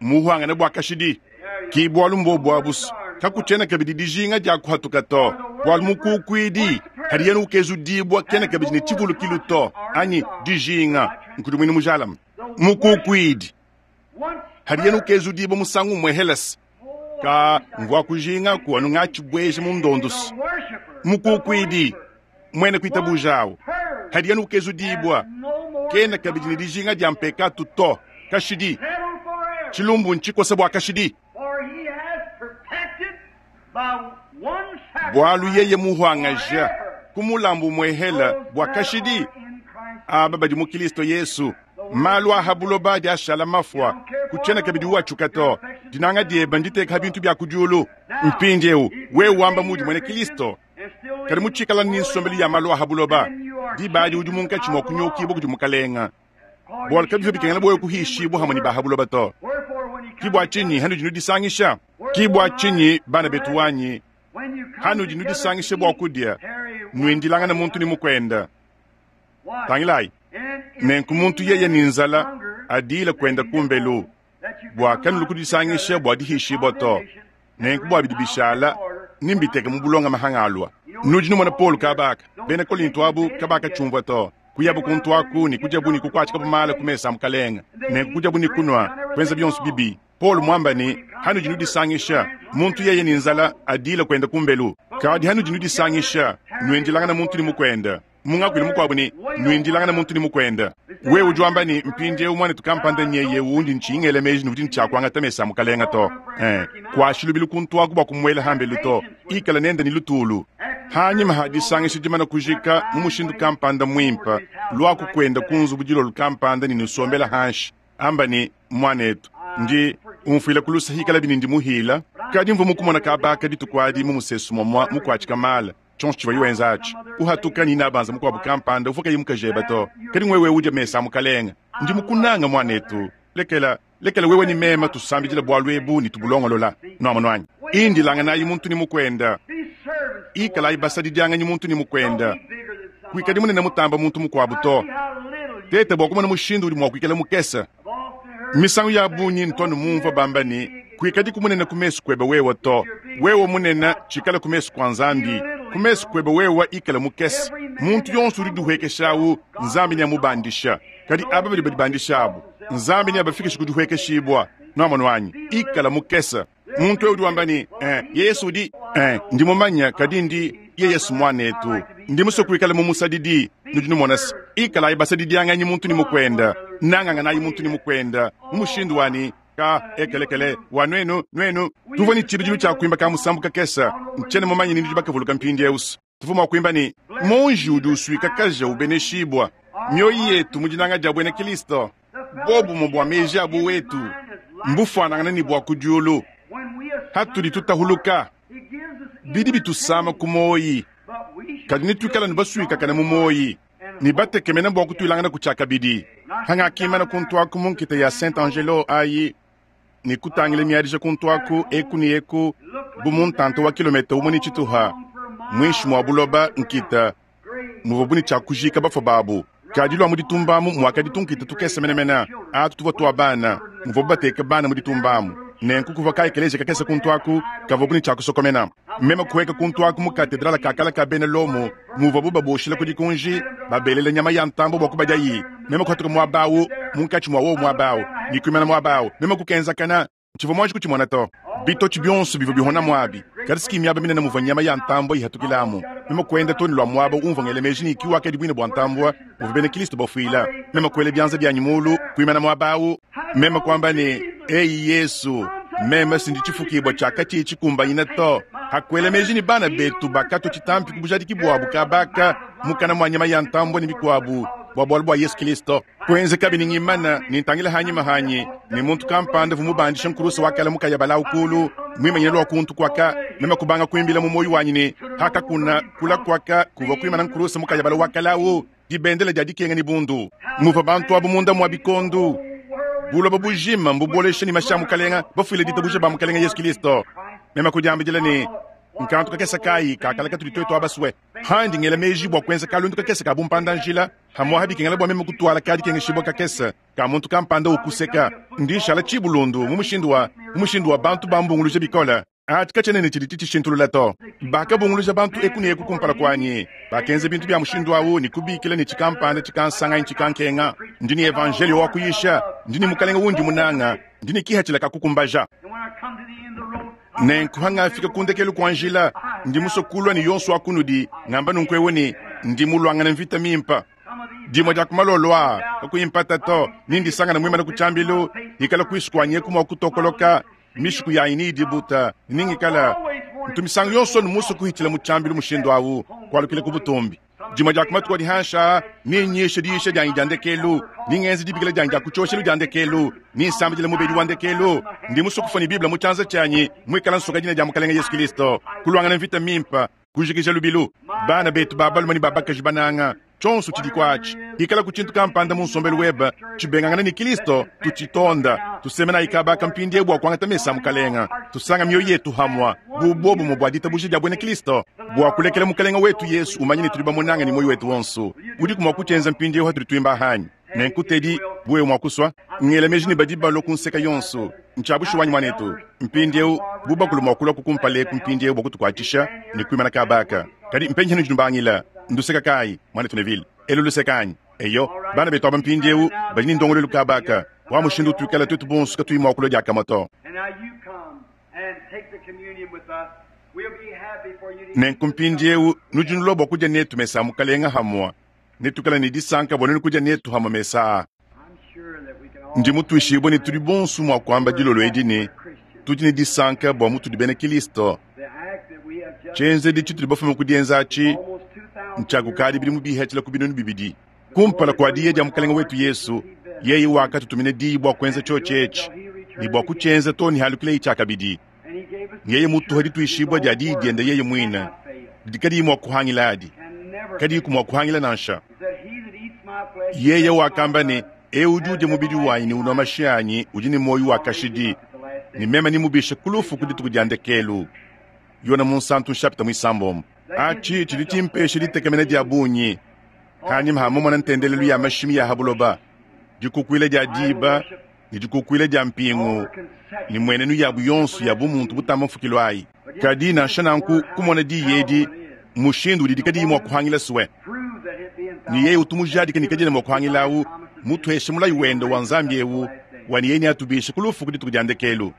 muhuangane bua kashidi. Ki bualu mbobu abusu, kakutshiena kabidi dijinga dia kuhatuka to, bualu mukukuidi hadi yena ukezudibua kena kabidi ne tshivulukilu to, anyi dijinga nkudimuinu mujalame. Mukukuidi hadi yena ukezudibua musangu umue helese ka mvua kujinga ku anu ngatshibueja mu ndondusu. Mukukuidi muena kuitabuja hadi yena ukezudibua kena kabidi ne dijinga dia mpekatu to kashidi. Tshilumbu ntshikosa bua kashidi. Bualu yeye muhuangaja ku mulambu muehela bua kashidi aba badi mu Kilisto Yesu. Malu a ha buloba adi ashala mafua, kutshiena kabidi uatshuka to. Dinanga diebe nditeka ha bintu bia ku diulu. Mpindieu wewe wamba mudi muena Kilisto, kadi mutshikala ne nsombelu ya malu a ha buloba, diba adi udi munkatshi mua kunyokibua kudi Mukalenga. Bualu kabivua bikengela bua wewe kuhishibua hamue ne ba ha buloba to. Ki bua tshinyi hanudi nudisangisha? Ki bua tshinyi bana betu wanyi, hanudi nudisangisha bua kudia, nuindilangana muntu ne mukuenda. Tangilayi, nenku muntu yeye ne nzala adile kuenda kumbelu, bua kanulu kudisangisha bua dihishibua to. Nenku bua bidi bishala nimbiteke mu bulonga mahanga alua. Nudi numona Paulo kabaka, bena Kolinto abu kabakatshiumvua to. Kuyabu kuntu aku ne kudiabu ne kukuatshikabu mala ku mesa a Mukalenga, nenku kudiabu ne kunua, kuenza bionso bibi. Paulo mwamba ne, Hanudi nudisangisha, muntu yeye ne nzala, adiile kwenda kumbelu. Kadi hanudi nudisangisha, nwindilangana muntu ne mukwenda. Mu ngakuilu mukuabu ne, nwindilangana muntu ne mukwenda. Wewe udi wamba ne, Mpindieu muanetu kampanda nyeye undi ntshiyi ngela meji ne udi ne tshia kuangata mesa a Mukalenga to. Ee, kuashi lubilu kuntu aku bua kumuela hambelu to. Ikala nende ne lutulu. Hanyima ha disangisha dimana kujika mu mushindu kampanda muimpe, luaku kuenda ku nzubu dilolo kampanda ne nusombela hanshi. Amba ne, Muanetu, ndi umfuila ku luse hikalabi ne ndi muhila, kadi mvua mukumona kaba aka dituku adi mu musesu muamua mukuatshika mala. Tshionso tshivuaye wenza atshi, uhatuka ne inabanza mukuabu kampanda uvua kayi mukajebe to. Kadi ngwewe udia mesa a Mukalenga. Ndi mukunanga, muanetu. Lekela, lekela wewe ne mema tusambidila bualu ebu ne tubulongolola. Nuamonu anyi? Indilanganayi muntu ne mukuenda. Ikalayi basadidianganyi muntu ne mukuenda. Kuikadi munene mutamba muntu mukuabu to. Teta bua kumona mushindu udi mua kuikala mukese. Misangu ya bungi ntu anu mumvua bamba ne, Kuikadiku munene ku mesu kuebe wewe to. Wewe munene, tshikale ku mesu kua Nzambi. Ku mesu kuebe wewe ikale mukese. Muntu yonso udi udihuekesha au, Nzambi neamubandisha. Kadi aba badi badibandisha abu, Nzambi neabafikishe ku dihuekeshibua. Nuamonu anyi? Ikala mukese. Muntu eu udi wamba ne, Eh, Yesu udi. Eh, ndi mumanye, kadi ndi, yeye si muanetu. Ndi musue kuikala mumusadidi. Nudi numona se, ikalayi basadidianganyi muntu ne mukuenda, nanganganayi muntu ne mukuenda, mu mushindu wa ne, ka, ekelekele, wa nuenu, nuenu. Tuvua ne tshibidilu tshia kuimba ka musambu kakese, ntshiena mumanye ni nudi bakavuluka mpindieu. Tuvua mua kuimba ne, Muonji udi usuikakaja ubeneshibua, mioyo yetu mu dinanga dia buena Kristo. Buobumue bua meji a buwetu mbufuanangane ne bua ku diulu. Hatudi tutahuluka, bidi bitusama ku muoyi, kadi netuikale anu basuikakane mu muoyi ne batekemene bua kutuilangana ku tshiakabidi. Hangakimana kuntu aku mu nkita ya Saint Angelo ayi ne kutangila miadija kuntu aku eku ne eku bu mu ntanta wa kilometa umue ne tshituha muinshi mua buloba, nkita muvuabu ne tshia kujiika bafue babu. Kadi lua mu ditumba amu muakadi tunkita tukese menemene, atu tuvua tua bana, muvuabu bateka bana mu ditumba amu. Nenku kuvua ka ekeleziya kakese kuntu aku kavuabu ne tshia kusokomena. Meme kuhueka kuntu aku mu katedrale ka kale ka bena Lomo muvuabu babuoshila ku dikunji, babelela nyama ya ntambue bua kubadiayi. Meme kuhatuka muaba au, munkatshi mua wowu muaba au, ne kuimana muaba au. Meme kukenzakana. Tshivua muanji kutshimona to. Bitotshi bionso bivua bihonamu abi, kadi si ki miaba minene muvua nyama ya ntambue ihatukilamu. Meme kuenda too ne lua muaba umvua ngela meji ne, ki wakadi buine bua ntambue muvua bena Kristo bafuila. Meme kuela bianza bianyi muulu, kuimana muaba au. Meme kuamba ne, Eyi Yesu, meme si ndi tshifukibua tshia katshiyi tshikumbanyine to. Hakuela meji ne bana betu bakatua tshitampi ku bujadiki buabu kabaka mukana mua nyama ya ntambue ne mikuabu bua bualu bua Yesu Kristo. Kuenzekabi ne ngimana ne ntangila hanyima hanyi, ne muntu kampanda uvua mubandishe nkuruse wa kale mukaya balawu kulu, muimanyine lua kuntu kuaka. Meme kubanga kuimbila mu muoyo wanyi ne, Hakakuna kula kuaka kuvua kuimana nkuruse mukaya bala wa kale awu, dibendele dia dikenga ne bundu. Muvua bantu abu munda mua bikondu. Buloba bujima mbubolesha ne mashi a Mukalenga, bafuile ditabuja ba Mukalenga Yesu Kilisto. Meme kudiambidila ne, Nkantu kakese kayi ka kale katudi tuetu abasue? Handi ngela meji bua kuenza kalundu kakese ka bumpanda-njila, hamuaha bikengela bua meme kutuala ka dikengeshibua kakese ka muntu kampanda ukuseka, ndi nshala tshibulundu mu mushindu wa mu mushindu wa bantu bambunguluja bikole. Atshi katshiena ne tshidi tshitshishintulula to. Bakabunguluja bantu eku ne eku kumpala kuanyi, bakenza bintu bia mushindu au ne kubikila ne tshikampanda tshikansanga anyi tshikankenga. Ndi ne evanjeliyo wa kuyisha, ndi ne Mukalenge undi munanga, ndi ne kipatshila ka kukumbaja. Nenku hangafika ku ndekelu kua njila, ndi musue kulua ne yonso wa kunudi ngamba nunku eu ne, ndi muluangane mvita mimpe. Dimue dia ku malolo aa, kakuyi mpata to, nindisangana muimane ku tshiambilu, hikala kuisu kuanyi eku mua kutokoloka, mishiku yanyi neyidibuta, ne ningikala ntu misangu yonso musue kuhitshila mu tshiambilu mushindu au, kualukila ku butumbi. Dimue dia ku matuku adi hanshi aa, nenyishe diyisha dianyi dia ndekelu, nengenze dibikila dianyi dia ku tshioshelu dia ndekelu, nensambidile mubedi wa ndekelu. Ndi musue kufua ne Bible mu tshianza tshianyi, muikale nsoka dina dia Mukalenge Yesu Kristo, kuluangana mvita mimpe, kujikija lubilu. Bana betu ba balume ne ba bakaji bananga, tshionso tshidi kuatshi, ikalaku tshintu kampanda mu nsombelu webe tshibengangana ne Kristo, tutshitonda, tusemenayi kaba aka mpindieu bua kuangata mesa a Mukalenge, tusanga mioyo yetu hamua bu buobumue bua ditabuja dia buena Kristo, bua kulekela Mukalenge wetu Yesu umanye ne tudi bamunange ne muoyo wetu wonso. Udiku mua kutshienza mpindieu hatudi tuimba anyi? Nenku Teddy, bu wewe mua kusua, ngela meji ne badi balua ku nseka yonso. Ntshia bushuwa anyi, muanetu? Mpindieu, bu bakulu mua kulua kukumpala eku mpindieu bua kutukuatshisha ne kuimana kaba aka. Kadi mpenyi hanudi nubangila? Nduseka kayi, muanetu Neville? Elu luseka anyi? Eyo, bana betu aba mpindieu badi ne ndongoluelu kaba aka. Wa mushindu utuikala tuetu bonso katuyi mua kulua diakamue to. Nenku mpindieu nudi nulua bua kudia netu mesa a Mukalenge hamue. Netuikale ne disanka bua nuenu kudia netu hamue mesa aa. Ndi mutuishibue ne tudi bonso mua kuamba dilolo edi ne, tudi ne disanka bua mutudi bena Kristo. Tshienzedi tshitudi bafume ku dienza atshi ntshia kukadi bidimu bihatshila ku 2000. Kumpala kua diya dia Mukalenge wetu Yesu, yeye wakatutumina diyi bua kuenza tshiotshi etshi ne bua kutshienza too ne halukileye tshiakabidi. Yeye mutuha dituishibua dia diyi diende yeye muine didi kadiyi mua kuhangila adi, kadiyiku mua kuhangila nansha. Yeye wakamba ne, Eu udi udia mubidi wanyi ne unua mashi anyi udi ne muoyo wa kashidi, ne meme nemubishe ku lufu ku dituku dia ndekelu. Yone Munsantu nshapita muisambombo. Atshi tshidi tshimpesha ditekemena dia bungi kanyima ha mumona ntendelelu ya mashimi ya ha buloba, dikukuila dia diba ne dikukuila dia mpingu ne mmuenenu yabu yonso ya bumuntu butamba mfukilu ayi. Kadi nansha nanku, kumona diyi edi mushindu udidi kadiyi mua kuhangila sue, ne yeye utu mujadike ne kadiena mua kuhangilawu, mutuheshe mulayi wende wa Nzambi eu wa ne yeye neatubishe ku lufu ku dituku dia ndekelu.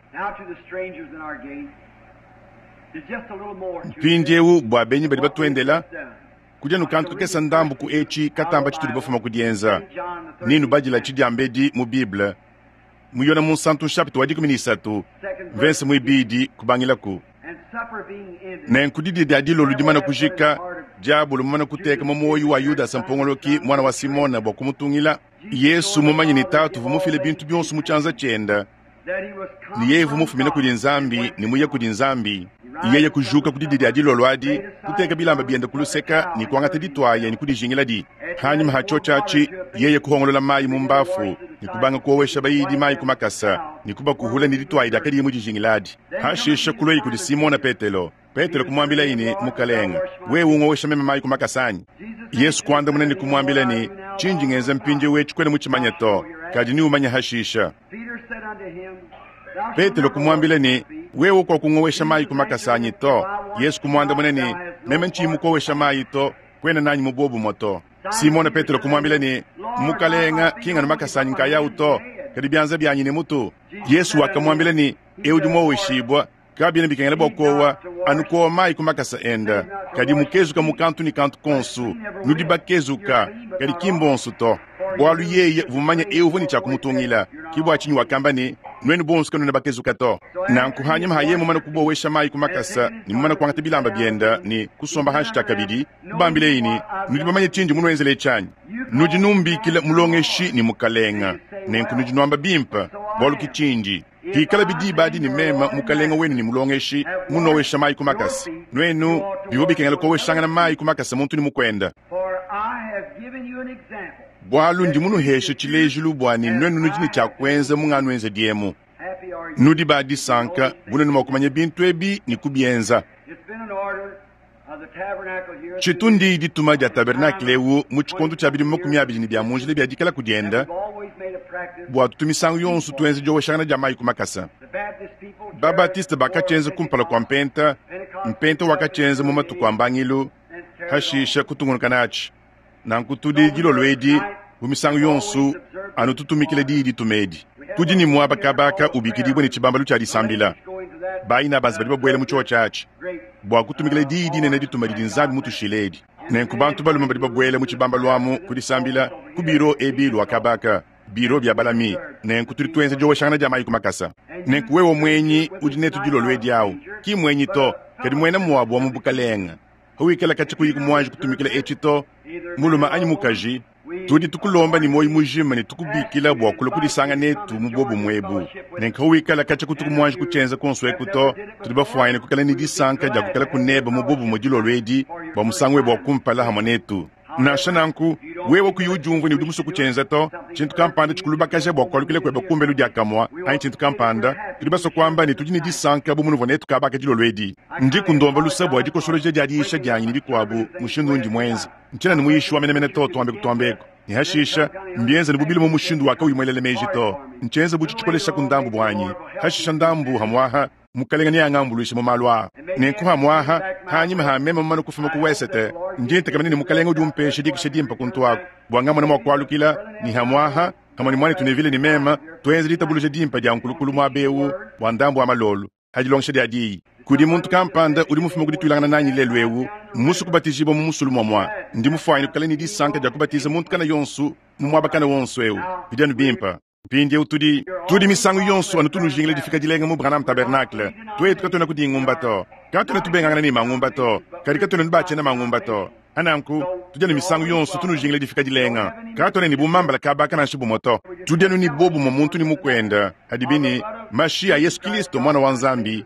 Mpindieu bua benyi badi batuendela, kudi anu kantu kakese ndambu ku etshi katamba tshitudi bafuma ku dienza, ne nubadila tshidiambedi mu Bible, mu Yone Munsantu nshapita wa 13, mvese muibidi kubangilaku. Nenku didia dia dilolo dimane kujika, diabolo mumane kuteka mu muoyo wa Yudasa mpongoloki muana wa Simona bua kumutungila, Yesu mumanye ne Tatu uvua mufile bintu bionso mu tshianza tshiende, ne yeye uvua mufumine kudi Nzambi ne muye kudi Nzambi, yeye kujuka ku didia dia dilolo adi, kuteka bilamba biende ku luseka ne kuangata dituaya ne kudijingiladi. Hanyima ha tshiotshi atshi, yeye kuhongolola mayi mu mbafu ne kubanga kuowesha bayidi mayi ku makasa ne kubakuhula ne dituaya diakadiye mudijingiladi. Hashishe kuluaye kudi Simona Petelo. Petelo kumuambilaye ne, Mukalenge, wewe ungowesha meme mayi ku makasa anyi? Yesu kuandamuna ne kumuambila ne, Tshindi ngenza mpindieu etshi kuena mutshimanye to, kadi neumanye hashisha. Petelo kumuambila ne, Wewe kuakungowesha mayi ku makasa anyi to. Yesu kumuandamuna ne, Meme ntshiyi mukowesha mayi to, kuena nanyi mu buobumue to. Simona Petelo kumuambila ne, Mukalenge, ki nganu makasa anyi nkayawu to, kadi bianza bianyi ne mutu. Yesu wakamuambila ne, Eu udi muoweshibua, kabiena bikengela bua kuowa anu kuowa mayi ku makasa ende, kadi mukezuka mu kantu ne kantu konso. Nudi bakezuka, kadi ki mbonso to. Bualu yeye uvua mumanye eu uvua ne tshia kumutungila, ke bua tshinyi wakamba ne, Nuenu bonso kanuena bakezuka to. Nanku hanyima ha yeye mumane kubowesha mayi ku makasa ne mumane kuangata bilamba biende ne kusomba hanshi tshiakabidi, kubambileye ne, Nudi bamanye tshindi munuenzele etshi anyi? Nudi numbikila Mulongeshi ne Mukalenge, nenku nudi nuamba bimpe, bualu ke tshindi. Pikalabi diba adi ne meme, Mukalenge wenu ne Mulongeshi, munowesha mayi ku makasa, nuenu bivua bikengela kuoweshangana mayi ku makasa muntu ne mukuende. Bualu ndi munuheshe tshilejilu bua ne nuenu nudi ne tshia kuenza mu nganuenzedi emu. Nudi ba disanka bu nuenu mua kumanya bintu ebi ne kubienza. Tshitu ndiyi dituma dia tabernakle eu mu tshikondo tshia bidimu 20 ne bia mu njila bia dikalaku diende, bua tutu misangu yonso tuenza dioweshangana dia mayi ku makasa. Ba-Baptiste bakatshienza kumpala kua Mpenta, Mpenta wakatshienza mu matuku a mbangilu, hashisha kutungunuka natshi. Nanku tudi dilolo edi bu misangu yonso anu tutumikila diyi dituma edi. Tudi ne muaba kabaka ubikidibue ne tshibambalu tshia disambila. Bayi na banza badi babuela mu tshiotshi atshi bua kutumikila diyi dinene dituma didi Nzambi mutushile edi. Nenku bantu balume badi babuela mu tshibambalu amu ku disambila ku biro ebi lua kabaka, biro bia balami. Nenku tudi tuenza dioweshangana dia mayi ku makasa. Nenku wewe muenyi udi netu dilolo edi awu, ki muenyi to, kadi muena muabu wa mu bukalenge. Pawikala katshia kuyi muanji kutumikila etshi to, mulume anyi mukaji, tudi tukulomba ne muoyo mujima ne tukubikila bua kulua kudisanga netu mu buobumue ebu. Nenku pawikala katshia kutuku muanji kutshienza kuonso eku to, tudi bafuanyine kuikala ne disanka dia kuikala kuneba mu buobumue dilolo edi bua musangu webe wa kumpala hamue netu. Nansha nanku, wewe kuyi udiumvua ne udi musue kutshienza to, tshintu kampanda tshikulubakaja bua kualukila kuebe kumbelu diakamue anyi tshintu kampanda, tudi basue kuamba ne, tudi ne disanka bu munuvua netu kaba aka dilolo edi. Ndiku ndomba luse bua dikosoloja dia diyisha dianyi ne bikuabu mushindu undi muenze. Ntshiena ne muyishi wa menemene to, tuambe kutuamba eku. Ne hashisha, mbienza ne bubilu mu mushindu wa kauyi muelele meji to. Ntshienza bu tshitshikoleshaku ndambu buanyi, hashisha ndambu hamuaha. Mukalenge neangambuluishe mu malu aa. Nenku hamuaha, hanyima ha meme mumane kufuma ku wesete, ndi ntekemena ne Mukalenge udi umpesha dikisha dimpe kuntu aku, bua ngamone mua kualukila, ne hamuaha, pamue ne muanetu Neville ne meme, tuenze ditabuluja dimpe dia nkulukulu muaba eu bua ndambu wa malolo pa dilongesha dia Diyi. Kudi muntu kampanda udi mufume ku dituilangana nanyi lelu eu, mmusue kubatijibua mu musulu muamua. Ndi mufuanyine kuikala ne disanka dia kubatiza muntu kana yonso mu muaba kana wonso eu. Bidi anu bimpe. Mpindieu tudi, tudi misangu yonso anu tunujingila difika dilenga mu Branham Tabernacle. Tuetu katuena ku dingumba to. Katuena tubengangana ne mangumba to, kadi katuena nubatshiena mangumba to. Pananku, tudi anu misangu yonso tunujingila difika dilenga. Katuena ne bumambala kaba aka nansha bumue to. Tudi anu ne bobumue muntu ne mukuende, hadibi ne, mashi a Yesu Kilisto, Muana wa Nzambi,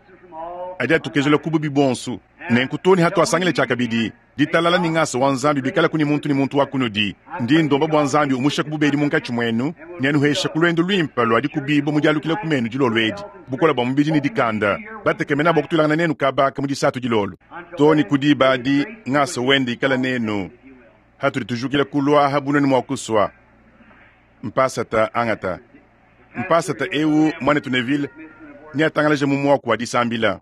adi atukezula ku bubi buonso. Nenku too ne hatuasangila tshiakabidi, ditalala ne ngasa wa Nzambi bikalaku ne muntu ne muntu wa kunudi. Ndi ndomba bua Nzambi umushaku bubedi munkatshi muenu ne anuhesha ku luendu luimpe lua dikubibua mu dialukila ku menu dilolo edi, bukole bua mubidi ne dikanda, batekemena bua kutuilangana nenu kaba aka mu disatu dilolo. Too ne ku diba adi, ngasa wende ikale nenu hatudi tujukila kulu aha bu nuenu mua kusua. Mpasata angata mpasata eu, muanetu Neville neatangalaje mu muaku wa disambila.